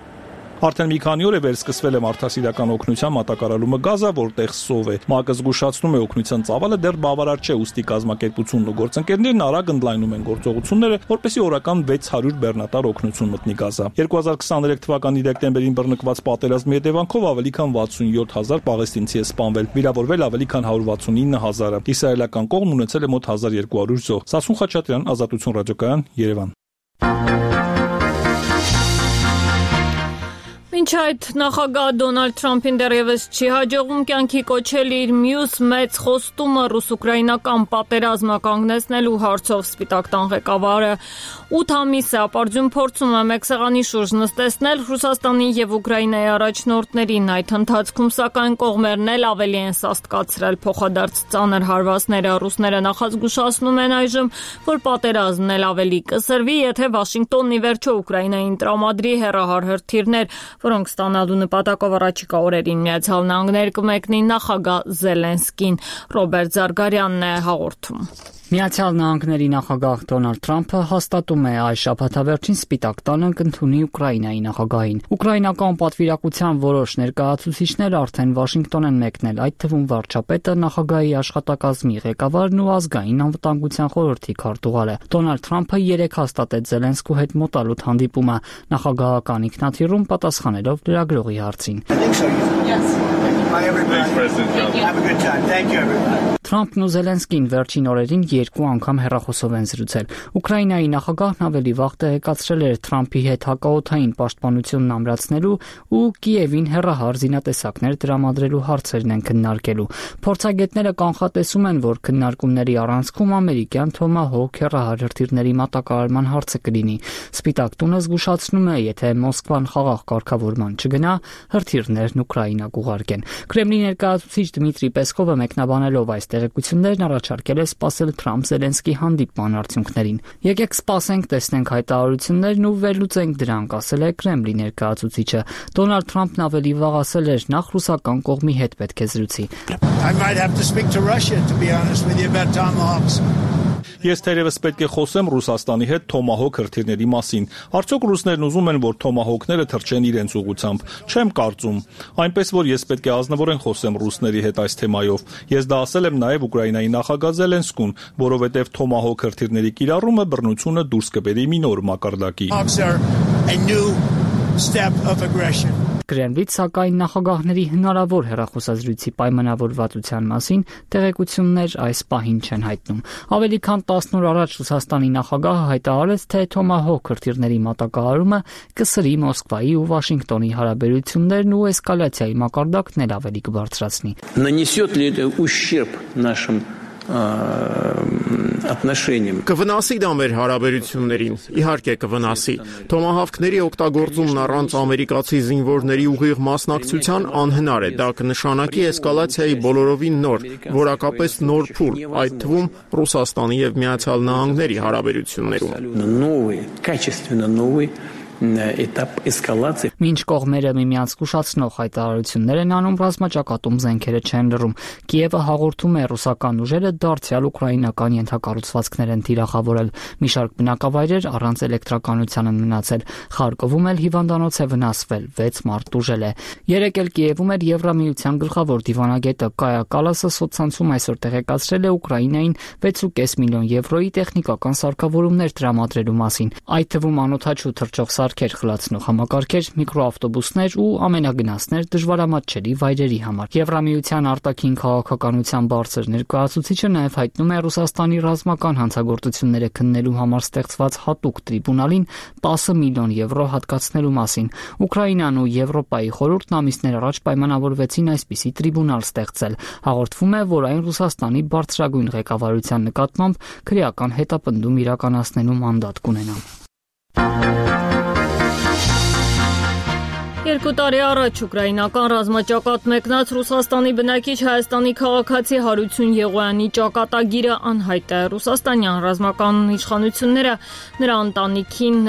Speaker 4: Արդեն մի քանի օր է վերսկսվել է մարդասիրական օգնության մատակարարումը Գազա, որտեղ սով է։ ՄԱԿ-ը զգուշացնում է օգնության ծավալը դեռ բավարար չէ, ուստի կազմակերպությունն ու գործընկերներն արագ ընդլայնում են գործողությունները, որպեսզի օրական 600 բեռնատար օգնություն մտնի Գազա։ 2023 թվականի դեկտեմբերին բռնկված պատերազմի հետևանքով ավելի քան 67000 պաղեստինցի է սպանվել, վիրավորվել ավելի քան 169000-ը։ Իսրայելական կողմն ունեցել է մոտ 1200 զոհ։ Սասուն Խաչատրյան, Ազատություն ռադիոկայան, Երևան։
Speaker 1: Մինչ այդ նախագահ Դոնալդ Թրամփին դեռևս չի հաջողվում կյանքի կոչել իր մյուս մեծ խոստումը ռուս-ուկրաինական պատերազմը կանգնեցնելու հարցով Սպիտակ տան ղեկավարը 8 ամիս է ապարդյուն փորձում է մեկ սեղանի շուրջ նստեցնել Ռուսաստանի եւ Ուկրաինայի առաջնորդներին։ Այդ ընթացքում սակայն կողմերն էլ ավելի են սաստկացրել փոխադարձ ծանր հարվածները։ Ռուսները նախազգուշացնում են այժմ, որ պատերազմն էլ ավելի կսրվի, եթե Վաշինգտոնն ի վերջո Ուկրաինային տրամադրի հեռահար հրթիռներ, որոնք ստանալու նպատակով առաջիկա օրերին Միացյալ Նահանգներ կմեկնի նախագահ Զելենսկին։ Ռոբերտ Զարգարյանն է հաղորդում։
Speaker 5: Միացյալ Նահանգների նախագահ Դոնալդ Թրամփը հաստատում է այս շաբաթավերջին Սպիտակ տանը կընդունի Ուկրաինայի նախագահին։ Ուկրաինական պատվիրակության որոշ ներկայացուցիչներ արդեն Վաշինգտոն են մեկնել, այդ թվում վարչապետը, նախագահի աշխատակազմի ղեկավարն ու ազգային անվտանգության խորհրդի քարտուղարը։ Դոնալդ Թրամփը երեկ հաստատեց Զելենսկու հետ մոտալուտ հանդիպումը, նախագահական ինքնաթիռում պատասխանելով լրագրողի հարցին։ Թրամփն ու Զելենսկին վերջին օրերին 2 անգամ հեռախոսով են զրուցել։ Ուկրաինայի նախագահն ավելի վաղ տեղեկացրել էր Թրամփի հետ հակաօդային պաշտպանությունն ամրացնելու ու Կիևին հեռահար զինատեսակներ տրամադրելու հարցերն են քննարկելու։ Փորձագետները կանխատեսում են, որ քննարկումների առանցքում ամերիկյան Թոմահոք հեռահար հրթիռների մատակարարման հարցը կլինի։ Սպիտակ տունը զգուշացնում է, եթե Մոսկվան խաղաղ կարգավորման չգնա, հրթիռներն Ուկրաինա կուղարկեն։ Կրեմլի ներկայացուցիչ Դմիտրի Պեսկովը մեկնաբանելով այս տեղեկություններն առաջարկել է սպասել Թրամփ-Զելենսկի հանդիպման արդյունքներին։ Եկեք սպասենք, տեսնենք հայտարարություններն ու վերլուծենք դրանք, ասել է Կրեմլի ներկայացուցիչը։ Դոնալդ Թրամփն ավելի վաղ ասել էր, նախ ռուսական կողմի հետ պետք է զրուցի։
Speaker 4: Ես թերևս պետք է խոսեմ Ռուսաստանի հետ Թոմահոք հրթիռների մասին։ Արդյոք ռուսներն ուզում են, որ Թոմահոքները թռչեն իրենց ուղղությամբ։ Չեմ կարծում։ Այնպես որ ես պետք է ազնվորեն խոսեմ ռուսների հետ այս թեմայով։ Ես դա ասել եմ նաև Ուկրաինայի նախագահ Զելենսկուն, որովհետև Թոմահոք հրթիռների կիրառումը բռնությունը դուրս կբերի մի նոր մակարդակի։
Speaker 5: Կրեմլից սակայն նախագահների հնարավոր հեռախոսազրույցի պայմանավորվածության մասին տեղեկություններ այս պահին չեն հայտնում։ Ավելի քան 10 օր առաջ Ռուսաստանի նախագահը հայտարարեց, թե Թոմահոք հրթիռների մատակարարումը կսրի Մոսկվայի ու Վաշինգտոնի հարաբերություններն ու էսկալացիայի մակարդակն էլ ավելի կբարձրացնի։
Speaker 6: отношениям.
Speaker 3: Կվնասի դա մեր հարաբերություններին, իհարկե կվնասի։ Թոմահավքների օգտագործումն առանց ամերիկացի զինվորների ուղիղ մասնակցության անհնար է, դա կնշանակի էսկալացիայի բոլորովին նոր, որակապես նոր փուլ, այդ թվում Ռուսաստանի եւ Միացյալ Նահանգների հարաբերություններում։
Speaker 6: Новый, качественно новый этап эскалации.
Speaker 5: Մինչ կողմերը միմյանց զգուշացնող հայտարարություններ են անում, ռազմաճակատում զենքերը չեն լռում։ Կիևը հաղորդում է ռուսական ուժերը դարձյալ ուկրաինական ենթակառուցվածքներ են թիրախավորել։ Մի շարք բնակավայրեր առանց էլեկտրականության են մնացել։ Խարկովում էլ հիվանդանոց է վնասվել, 6 մարդ տուժել է։ Երեկ էլ Կիևում էր Եվրամիության գլխավոր դիվանագետը Կայա Կալասը սոցցանցում այսօր տեղեկացրել է Ուկրաինային 6.5 միլիոն եվրոյի տեխնիկական սարքավորումներ տրամադրելու մասին։ Այդ թվում անօդաչու թռչող սարքեր, խլացնող համակարգեր, միկրոավտոբուսներ ու ամենագնացներ դժվարամատչելի վայրերի համար։ Եվրամիության արտաքին քաղաքականության բարձր ներկայացուցիչը նաև հայտնում է Ռուսաստանի ռազմական հանցագործությունները քննելու համար ստեղծված հատուկ տրիբունալին 10 միլիոն եվրո հատկացնելու մասին։ Ուկրաինան ու Եվրոպայի խորհուրդն ամիսներ առաջ պայմանավորվեցին այսպիսի տրիբունալ ստեղծել։ Հաղորդվում է, որ այն Ռուսաստանի բարձրագույն ղեկավարության նկատմամբ քրեական հետապնդում իրականացնելու մանդատ կունենա։
Speaker 1: 2 տարի առաջ ուկրաինական ռազմաճակատ մեկնած Ռուսաստանի բնակիչ Հայաստանի քաղաքացի Հարություն Եղոյանի ճակատագիրը անհայտ է։ Ռուսաստանյան ռազմական իշխանությունները նրա ընտանիքին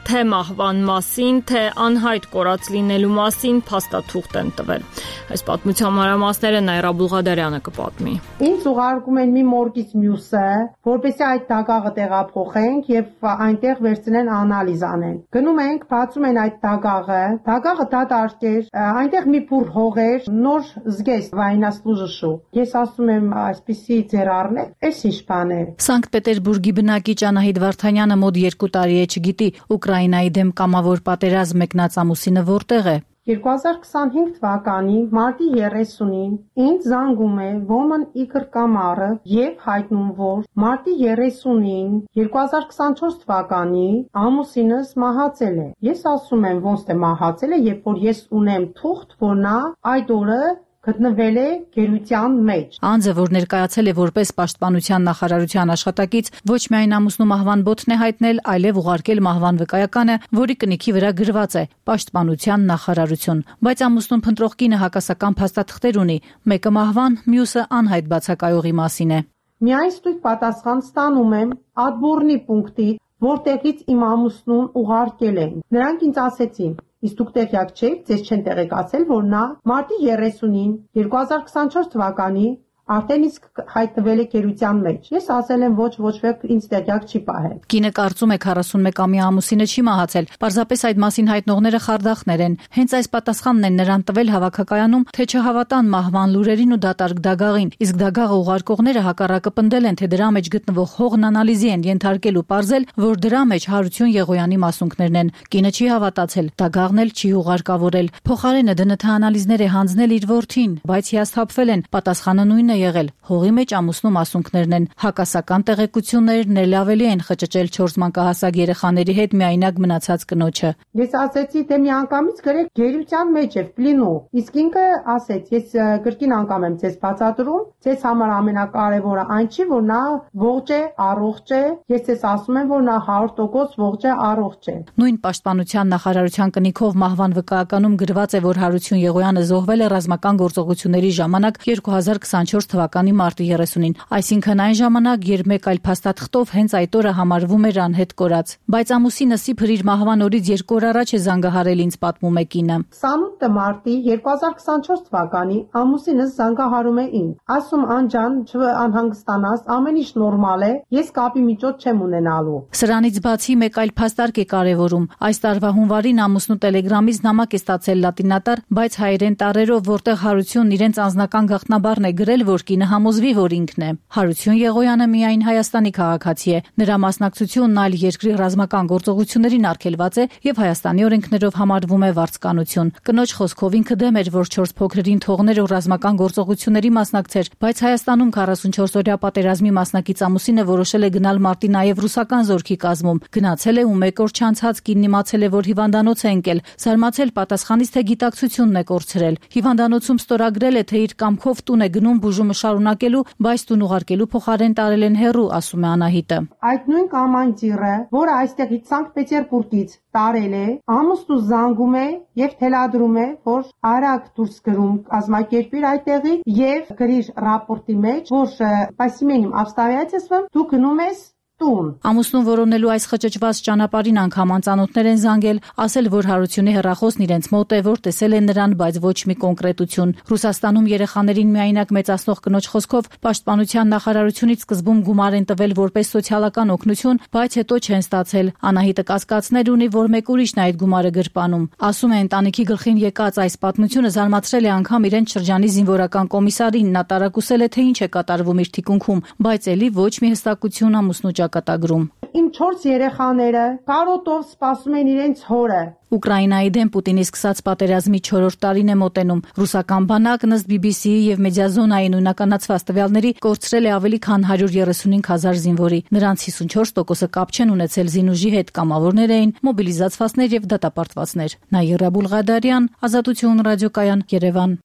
Speaker 1: թե մահվան մասին, թե անհայտ կորած լինելու մասին փաստաթուղթ են տվել։ Այս պատմության մանրամասները Նայրա Բուլղադարյանը կպատմի։
Speaker 8: Ինձ ուղարկում են մի մորգից մյուսը, որպեսզի այդ դագաղը տեղափոխենք եւ այնտեղ վերցնեն անալիզ անեն։ Գնում ենք, բացում են այդ դագաղը դատարկ էր, այնտեղ մի փուր հող էր, նոր զգեստ վայնասլուժշու։ Ես ասում եմ, այսպիսի ձեր առնեք, էս ինչ բան է։
Speaker 13: Սանկտ Պետերբուրգի բնակիչ Անահիտ Վարդանյանը մոտ 2 տարի է չգիտի Ուկրաինայի դեմ կամավոր պատերազմ մեկնած ամուսինը որտեղ է։
Speaker 8: 2025 թվականի մարտի 30-ին ինձ զանգում է Woman Igor Կամարը եւ հայտնում, որ մարտի 30-ին 2024 թվականի ամուսինս մահացել է։ Ես ասում եմ, ոնց թե մահացել է, երբ որ ես ունեմ թուղթ, որ նա այդ օրը գտնվել է գերության մեջ։
Speaker 13: Անձը, որ ներկայացել է որպես Պաշտպանության նախարարության աշխատակից, ոչ միայն ամուսնու մահվան բոթն է հայտնել, այլև ուղարկել մահվան վկայականը, որի կնիքի վրա գրված է Պաշտպանության նախարարություն։ Բայց ամուսնուն փնտրող կինը հակասական փաստաթղթեր ունի, մեկը մահվան, մյուսը անհայտ բացակայողի մասին է։
Speaker 8: Միայն ստույգ պատասխան ստանում եմ Ադբորնի պունկտից, որտեղից իմ ամուսնուն ուղարկել են։ Նրանք ինձ ասեցին. Իսկ դուք տեղյակ չեք, ձեզ չեն տեղեկացել, որ նա մարտի 30-ին 2024 թվականի արդեն իսկ հայտնվել է գերության մեջ։ Ես ասել եմ ոչ ոք ինձ տեղյակ չի պահել։
Speaker 13: Կինը կարծում է 41-ամյա ամուսինը չի մահացել, պարզապես այդ մասին հայտնողները խարդախներ են։ Հենց այս պատասխանն են նրան տվել հավաքակայանում, թե չհավատան մահվան լուրերին ու դատարկ դագաղին։ Իսկ դագաղը ուղարկողները հակառակը պնդել են, թե դրա մեջ գտնվող հողն անալիզի են ենթարկել ու պարզել, որ դրա մեջ Հարություն Եղոյանի մասունքներն են։ Կինը չի հավատացել, դագաղն էլ չի ուղարկավորել։ Փոխարենը ԴՆԹ անալիզներ է հանձնել իր որդին, բայց հիասթափվել են։ Պատասխանը նույնն է եղել։ Հողի մեջ ամուսնու մասունքներն են։ Հակասական տեղեկություններն էլ ավելի են խճճել 4 մանկահասակ երեխաների հետ միայնակ մնացած կնոջը։
Speaker 8: Ես ասեցի, թե միանգամից գրեք գերության մեջ է պլինու։ Իսկ ինքը ասեց, ես կրկին անգամ եմ ձեզ բացատրում, ձեզ համար ամենակարևորը այն չի, որ նա ողջ է, առողջ է։ Ես ձեզ ասում եմ, որ նա 100% ողջ է, առողջ է։
Speaker 13: Նույն Պաշտպանության նախարարության կնիքով մահվան վկայականում գրված է, որ Հարություն Եղոյանը զոհվել է ռազմական գործողությունների ժամանակ 2024 թվականի մարտի 30-ին, այսինքն այն ժամանակ, երբ մեկ այլ փաստաթղթով հենց այդ օրը համարվում էր անհետ կորած։ Բայց ամուսինս իբր իր մահվան օրից 2 օր առաջ է զանգահարել ինձ, պատմում է կինը։
Speaker 8: 28 մարտի 2024 թվականի ամուսինս զանգահարում է ինձ։ Ասում անջան, չանհանգստանաս, ամեն ինչ նորմալ է, ես կապի միջոց չեմ ունենալու։
Speaker 13: Սրանից բացի մեկ այլ փաստարկ է կարևորում։ Այս տարվա հունվարին ամուսնու Տելեգրամից նամակ է ստացել լատինատար, բայց հայերեն տառերով, որտեղ Հարությունն իրենց անձնական գաղտնաբառն է գրել, որ կինը համոզվի, որ ինքն է։ Հարություն Եղոյանը միայն Հայաստանի քաղաքացի է։ Նրա մասնակցությունն այլ երկրի ռազմական գործողություններին արգելված է եւ Հայաստանի օրենքներով համարվում է վարձկանություն։ Կնոջ խոսքով ինքը դեմ էր, որ 4 փոքրերին թողներ ու ռազմական գործողությունների մասնակցեր, բայց Հայաստանում 44-օրյա պատերազմի մասնակից ամուսինը որոշել է գնալ մարտի նաեւ ռուսական զորքի կազմում։ Գնացել է ու 1 օր չանցած կինն իմացել է, որ հիվանդանոց է ընկել, զարմացել պատասխանից, թե գիտակցությունն է կորցրել։ Հիվանդանոցում ստորագրել է, թե իր կամքով տուն է գնում բուժ
Speaker 7: շարժումը շարունակելու, բայց տուն ուղարկելու փոխարեն տարել են հեռու, ասում է Անահիտը։
Speaker 8: Այդ նույն կամանդիրը, որը այստեղից Սանկտ Պետերբուրգից տարել է, ամուսնու զանգում է եւ թելադրում է, որ արագ դուրս գրում կազմակերպիր այդտեղից եւ գրիր ռապորտի մեջ, որ спасибо обстоятельствам դու գնում ես տուն։
Speaker 7: Ամուսնուն որոնելու այս խճճված ճանապարհին անգամ անծանոթներ են զանգել, ասել, որ Հարությունի հեռախոսն իրենց մոտ է, որ տեսել են նրան, բայց ոչ մի կոնկրետություն։ Ռուսաստանում երեխաներին միայնակ մեծացնող կնոջ խոսքով պաշտպանության նախարարությունից սկզբում գումար են տվել որպես սոցիալական օգնություն, բայց հետո չեն ստացել։ Անահիտը կասկածներ ունի, որ մեկ ուրիշն է այդ գումարը գրպանում։ Ասում է, ընտանիքի գլխին եկած այս պատմությունը զարմացրել է անգամ իրենց շրջանի զինվորական կոմիսարին, նա տարակուսել է, թե ինչ է կատարվում իր թիկունքում, բայց ելի ոչ մի հստակություն ամուսնու կատագրում։
Speaker 8: Իմ 4 երեխաները կարոտով սպասում են իրենց հորը։
Speaker 7: Ուկրաինայի դեմ Պուտինի սկսած պատերազմի 4-րդ տարին է մոտենում։ Ռուսական բանակն ըստ BBC-ի եւ Մեդիազոնայի նույնականացված տվյալների կորցրել է ավելի քան 135,000 զինվորի։ Նրանց 54%-ը կապ չեն ունեցել զինուժի հետ, կամավորներ էին, մոբիլիզացվածներ եւ դատապարտվածներ։ Նաիրա Բուլղադարյան, Ազատություն ռադիոկայան, Երևան։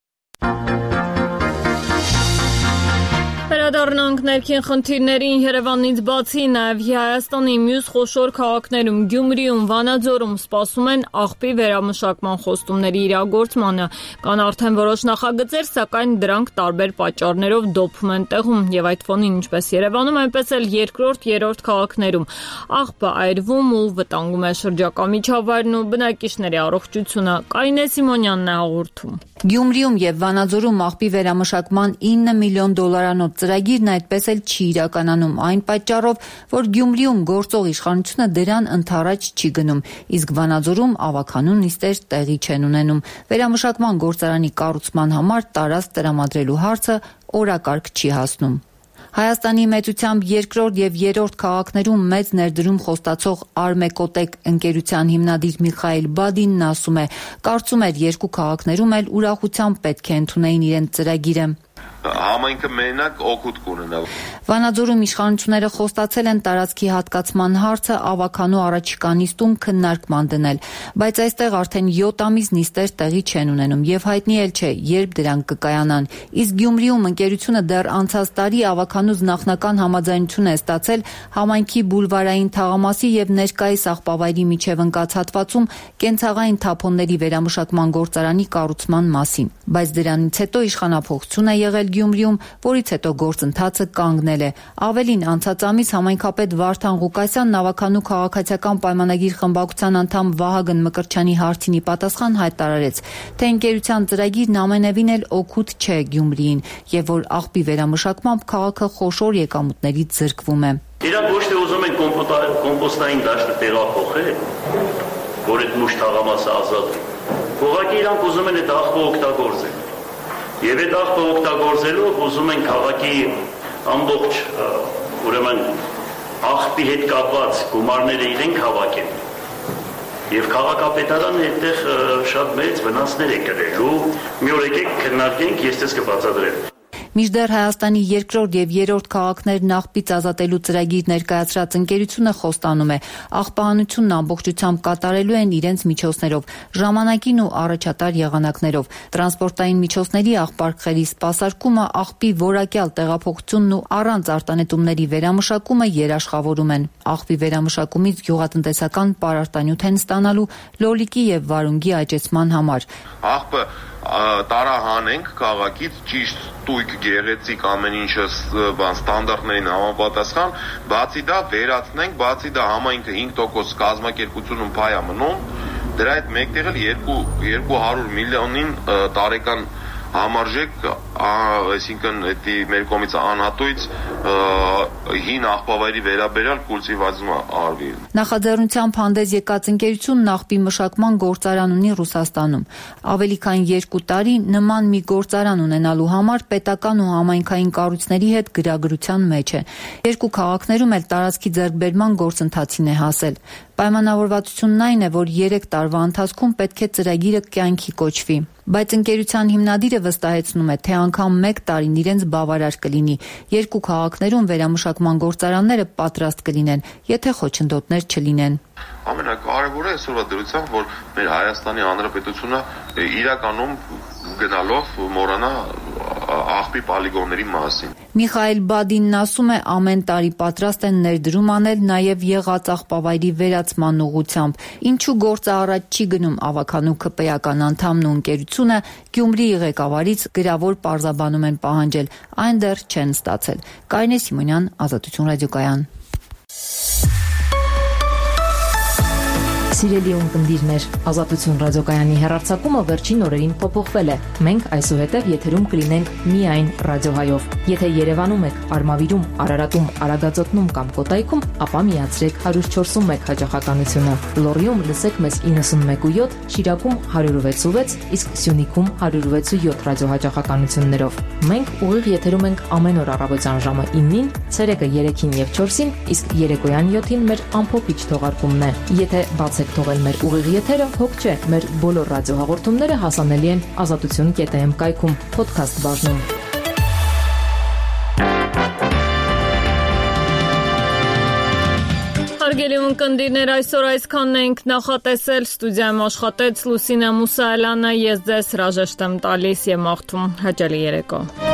Speaker 1: Վերադառնանք ներքին խնդիրներին Երևանից բացի նաև Հայաստանի մյուս խոշոր քաղաքներում Գյումրիում, Վանաձորում սպասում են աղբի վերամշակման խոստումների իրագործմանը։ Կան արդեն որոշ նախագծեր, սակայն դրանք տարբեր պատճառներով դոփում են տեղում եւ այդ ֆոնին ինչպես Երևանում, այնպես էլ երկրորդ, երրորդ քաղաքներում աղբը այրվում ու վտանգում է շրջակա միջավայրն ու բնակիչների առողջությունը։ Կարինե Սիմոնյանն է հաղորդում։
Speaker 9: Գյումրիում եւ Վանաձորում աղբի վերամշակման $9 միլիոն ծրագիրն այդպես էլ չի իրականանում այն պատճառով, որ Գյումրիում գործող իշխանությունը դրան ընդառաջ չի գնում, իսկ Վանաձորում ավականուն նիստեր տեղի չեն ունենում։ Վերամշակման գործարանի կառուցման համար տարածք տրամադրելու հարցը օրակարգ չի հասնում։ Հայաստանի մեծությամբ երկրորդ եւ երրորդ քաղաքներում մեծ ներդրում խոստացող Արմեկոտեկ ընկերության հիմնադիր Միխայել Բադինն ասում է, կարծում էր երկու քաղաքներում էլ ուրախությամբ պետք է ընդունեին իրենց ծրագիրը։
Speaker 10: Համայնքը մենակ օգուտ կունենա։
Speaker 9: Վանաձորում իշխանությունները խոստացել են տարածքի հատկացման հարցը ավականու առաջիկա նիստում քննարկման դնել, բայց այստեղ արդեն 7 ամիս նիստեր տեղի չեն ունենում եւ հայտնի էլ չէ, երբ դրանք կկայանան։ Իսկ Գյումրիում ընկերությունը դեռ անցած տարի ավականուց նախնական համաձայնություն է ստացել համայնքի բուլվարային թաղամասի եւ ներկայիս աղբավայրի միջև ընկած հատվածում կենցաղային թափոնների վերամշակման գործարանի կառուցման մասին, բայց դրանից հետո իշխանափոխություն է եղել Գյումրիում, որից հետո գործընթացը կանգնել է։ Ավելին, անցած ամիս համայնքապետ Վարդան Ղուկասյանն ավականու քաղաքացիական պայմանագիր խմբակցության անդամ Վահագն Մկրտչյանի հարցինի պատասխան հայտարարեց, թե ընկերության ծրագիրն ամենևին էլ օգուտ չէ Գյումրիին եւ որ աղբի վերամշակմամբ քաղաքը խոշոր եկամուտներից զրկվում է։
Speaker 11: Իրանք ոչ թե ուզում են կոմպոստային դաշտը տեղափոխել, որ այդ մուշ թաղամասը ազատ։ Ուղղակի իրանք ուզում են այդ աղբը օգտագործել։ Եվ այդ աղբը օգտագործելով ուզում են քաղաքի ամբողջ ուրեմն աղբի հետ կապված գումարները իրենք հավաքեն։ Եվ քաղաքապետարանը այդտեղ շատ մեծ վնասներ է կրել ու մի օր եկեք քննարկենք, ես դες կբացատրեմ։
Speaker 9: Մինչդեռ Հայաստանի երկրորդ եւ երրորդ քաղաքներն աղբից ազատելու ծրագիր ներկայացրած ընկերությունը խոստանում է, աղբահանությունն ամբողջությամբ կատարելու են իրենց միջոցներով, ժամանակին ու առաջատար եղանակներով։ Տրանսպորտային միջոցների աղբարկղերի սպասարկումը, աղբի որակյալ տեղափոխությունն ու առանց արտանետումների վերամշակումը երաշխավորում են։ Աղբի վերամշակումից գյուղատնտեսական պարարտանյութ են ստանալու լոլիկի եւ վարունգի աճեցման համար։
Speaker 10: Աղբը տարահանենք քաղաքից ճիշտ տույք գեղեցիկ ամեն ինչը ստանդարտներին համապատասխան, բացի դա վերացնենք, բացի դա համայնքը 5% կազմակերպությունում փայ է մնում, դրա հետ մեկտեղ էլ 200 միլիոնին տարեկան համարժեք, այսինքն դա մեր կողմից անհատույց հին աղբավայրի վերաբերյալ կուլտիվացումը արվի։
Speaker 9: Նախաձեռնությամբ հանդես եկած ընկերությունն աղբի մշակման գործարան ունի Ռուսաստանում։ Ավելի քան 2 տարի նման մի գործարան ունենալու համար պետական ու համայնքային կառույցների հետ գրագրության մեջ է։ Երկու քաղաքներում էլ տարածքի ձեռքբերման գործընթացին է հասել։ Պայմանավորվածությունն այն է, որ 3 տարվա ընթացքում պետք է ծրագիրը կյանքի կոչվի։ Բայց ընկերության հիմնադիրը վստահեցնում է, թե անգամ 1 տարին իրենց բավարար կլինի։ Երկու քաղաքներում վերամշակման գործարանները պատրաստ կլինեն, եթե խոչընդոտներ չլինեն։
Speaker 10: Ամենակարևորը այսօրվա դրությամբ, որ մեր Հայաստանի Հանրապետությունը իրականում գնալով մոռանա աղբի պոլիգոնների մասին։
Speaker 9: Միխայել Բադինն ասում է, ամեն տարի պատրաստ են ներդրում անել նաև եղած աղբավայրի վերացման ուղղությամբ։ Ինչու գործը առաջ չի գնում, ավականու ԿՊ-ական անդամն ու ընկերությունը Գյումրիի ղեկավարից գրավոր պարզաբանում են պահանջել, այն դեռ չեն ստացել։ Կարինե Սիմոնյան, Ազատություն ռադիոկայան։
Speaker 12: Սիրելի ունկնդիրներ, Ազատություն ռադիոկայանի հեռարձակումը վերջին օրերին փոփոխվել է։ Մենք այսուհետև եթերում կլինենք միայն ռադիոհայով։ Եթե Երևանում եք, Արմավիրում, Արարատում, Արագածոտնում կամ Կոտայքում, ապա միացրեք 104.1 հաճախականությունը։ Լոռիում լսեք մեզ 91.7, Շիրակում 106.6, իսկ Սյունիքում 106.7 ռադիոհաճախականություններով։ Մենք ուղիղ եթերում ենք ամեն օր առավոտյան ժամը 9-ին, ցերեկը 3-ին եւ 4-ին, իսկ երեկոյան 7-ին մեր ամփոփիչ թողարկումն է։ Եթե բացեք թողել մեր ուղիղ եթերը, հոգ չէ, մեր բոլոր ռադիոհաղորդումները հասանելի են azatutun.am կայքում, podcast բաժնում։
Speaker 1: Հարգելի ունկնդիրներ, այսօր այսքանն ենք նախատեսել, ստուդիայում աշխատեց Լուսինե Մուսայելյանը, ես ձեզ հրաժեշտ եմ տալիս եւ մաղթում հաճելի երեկո։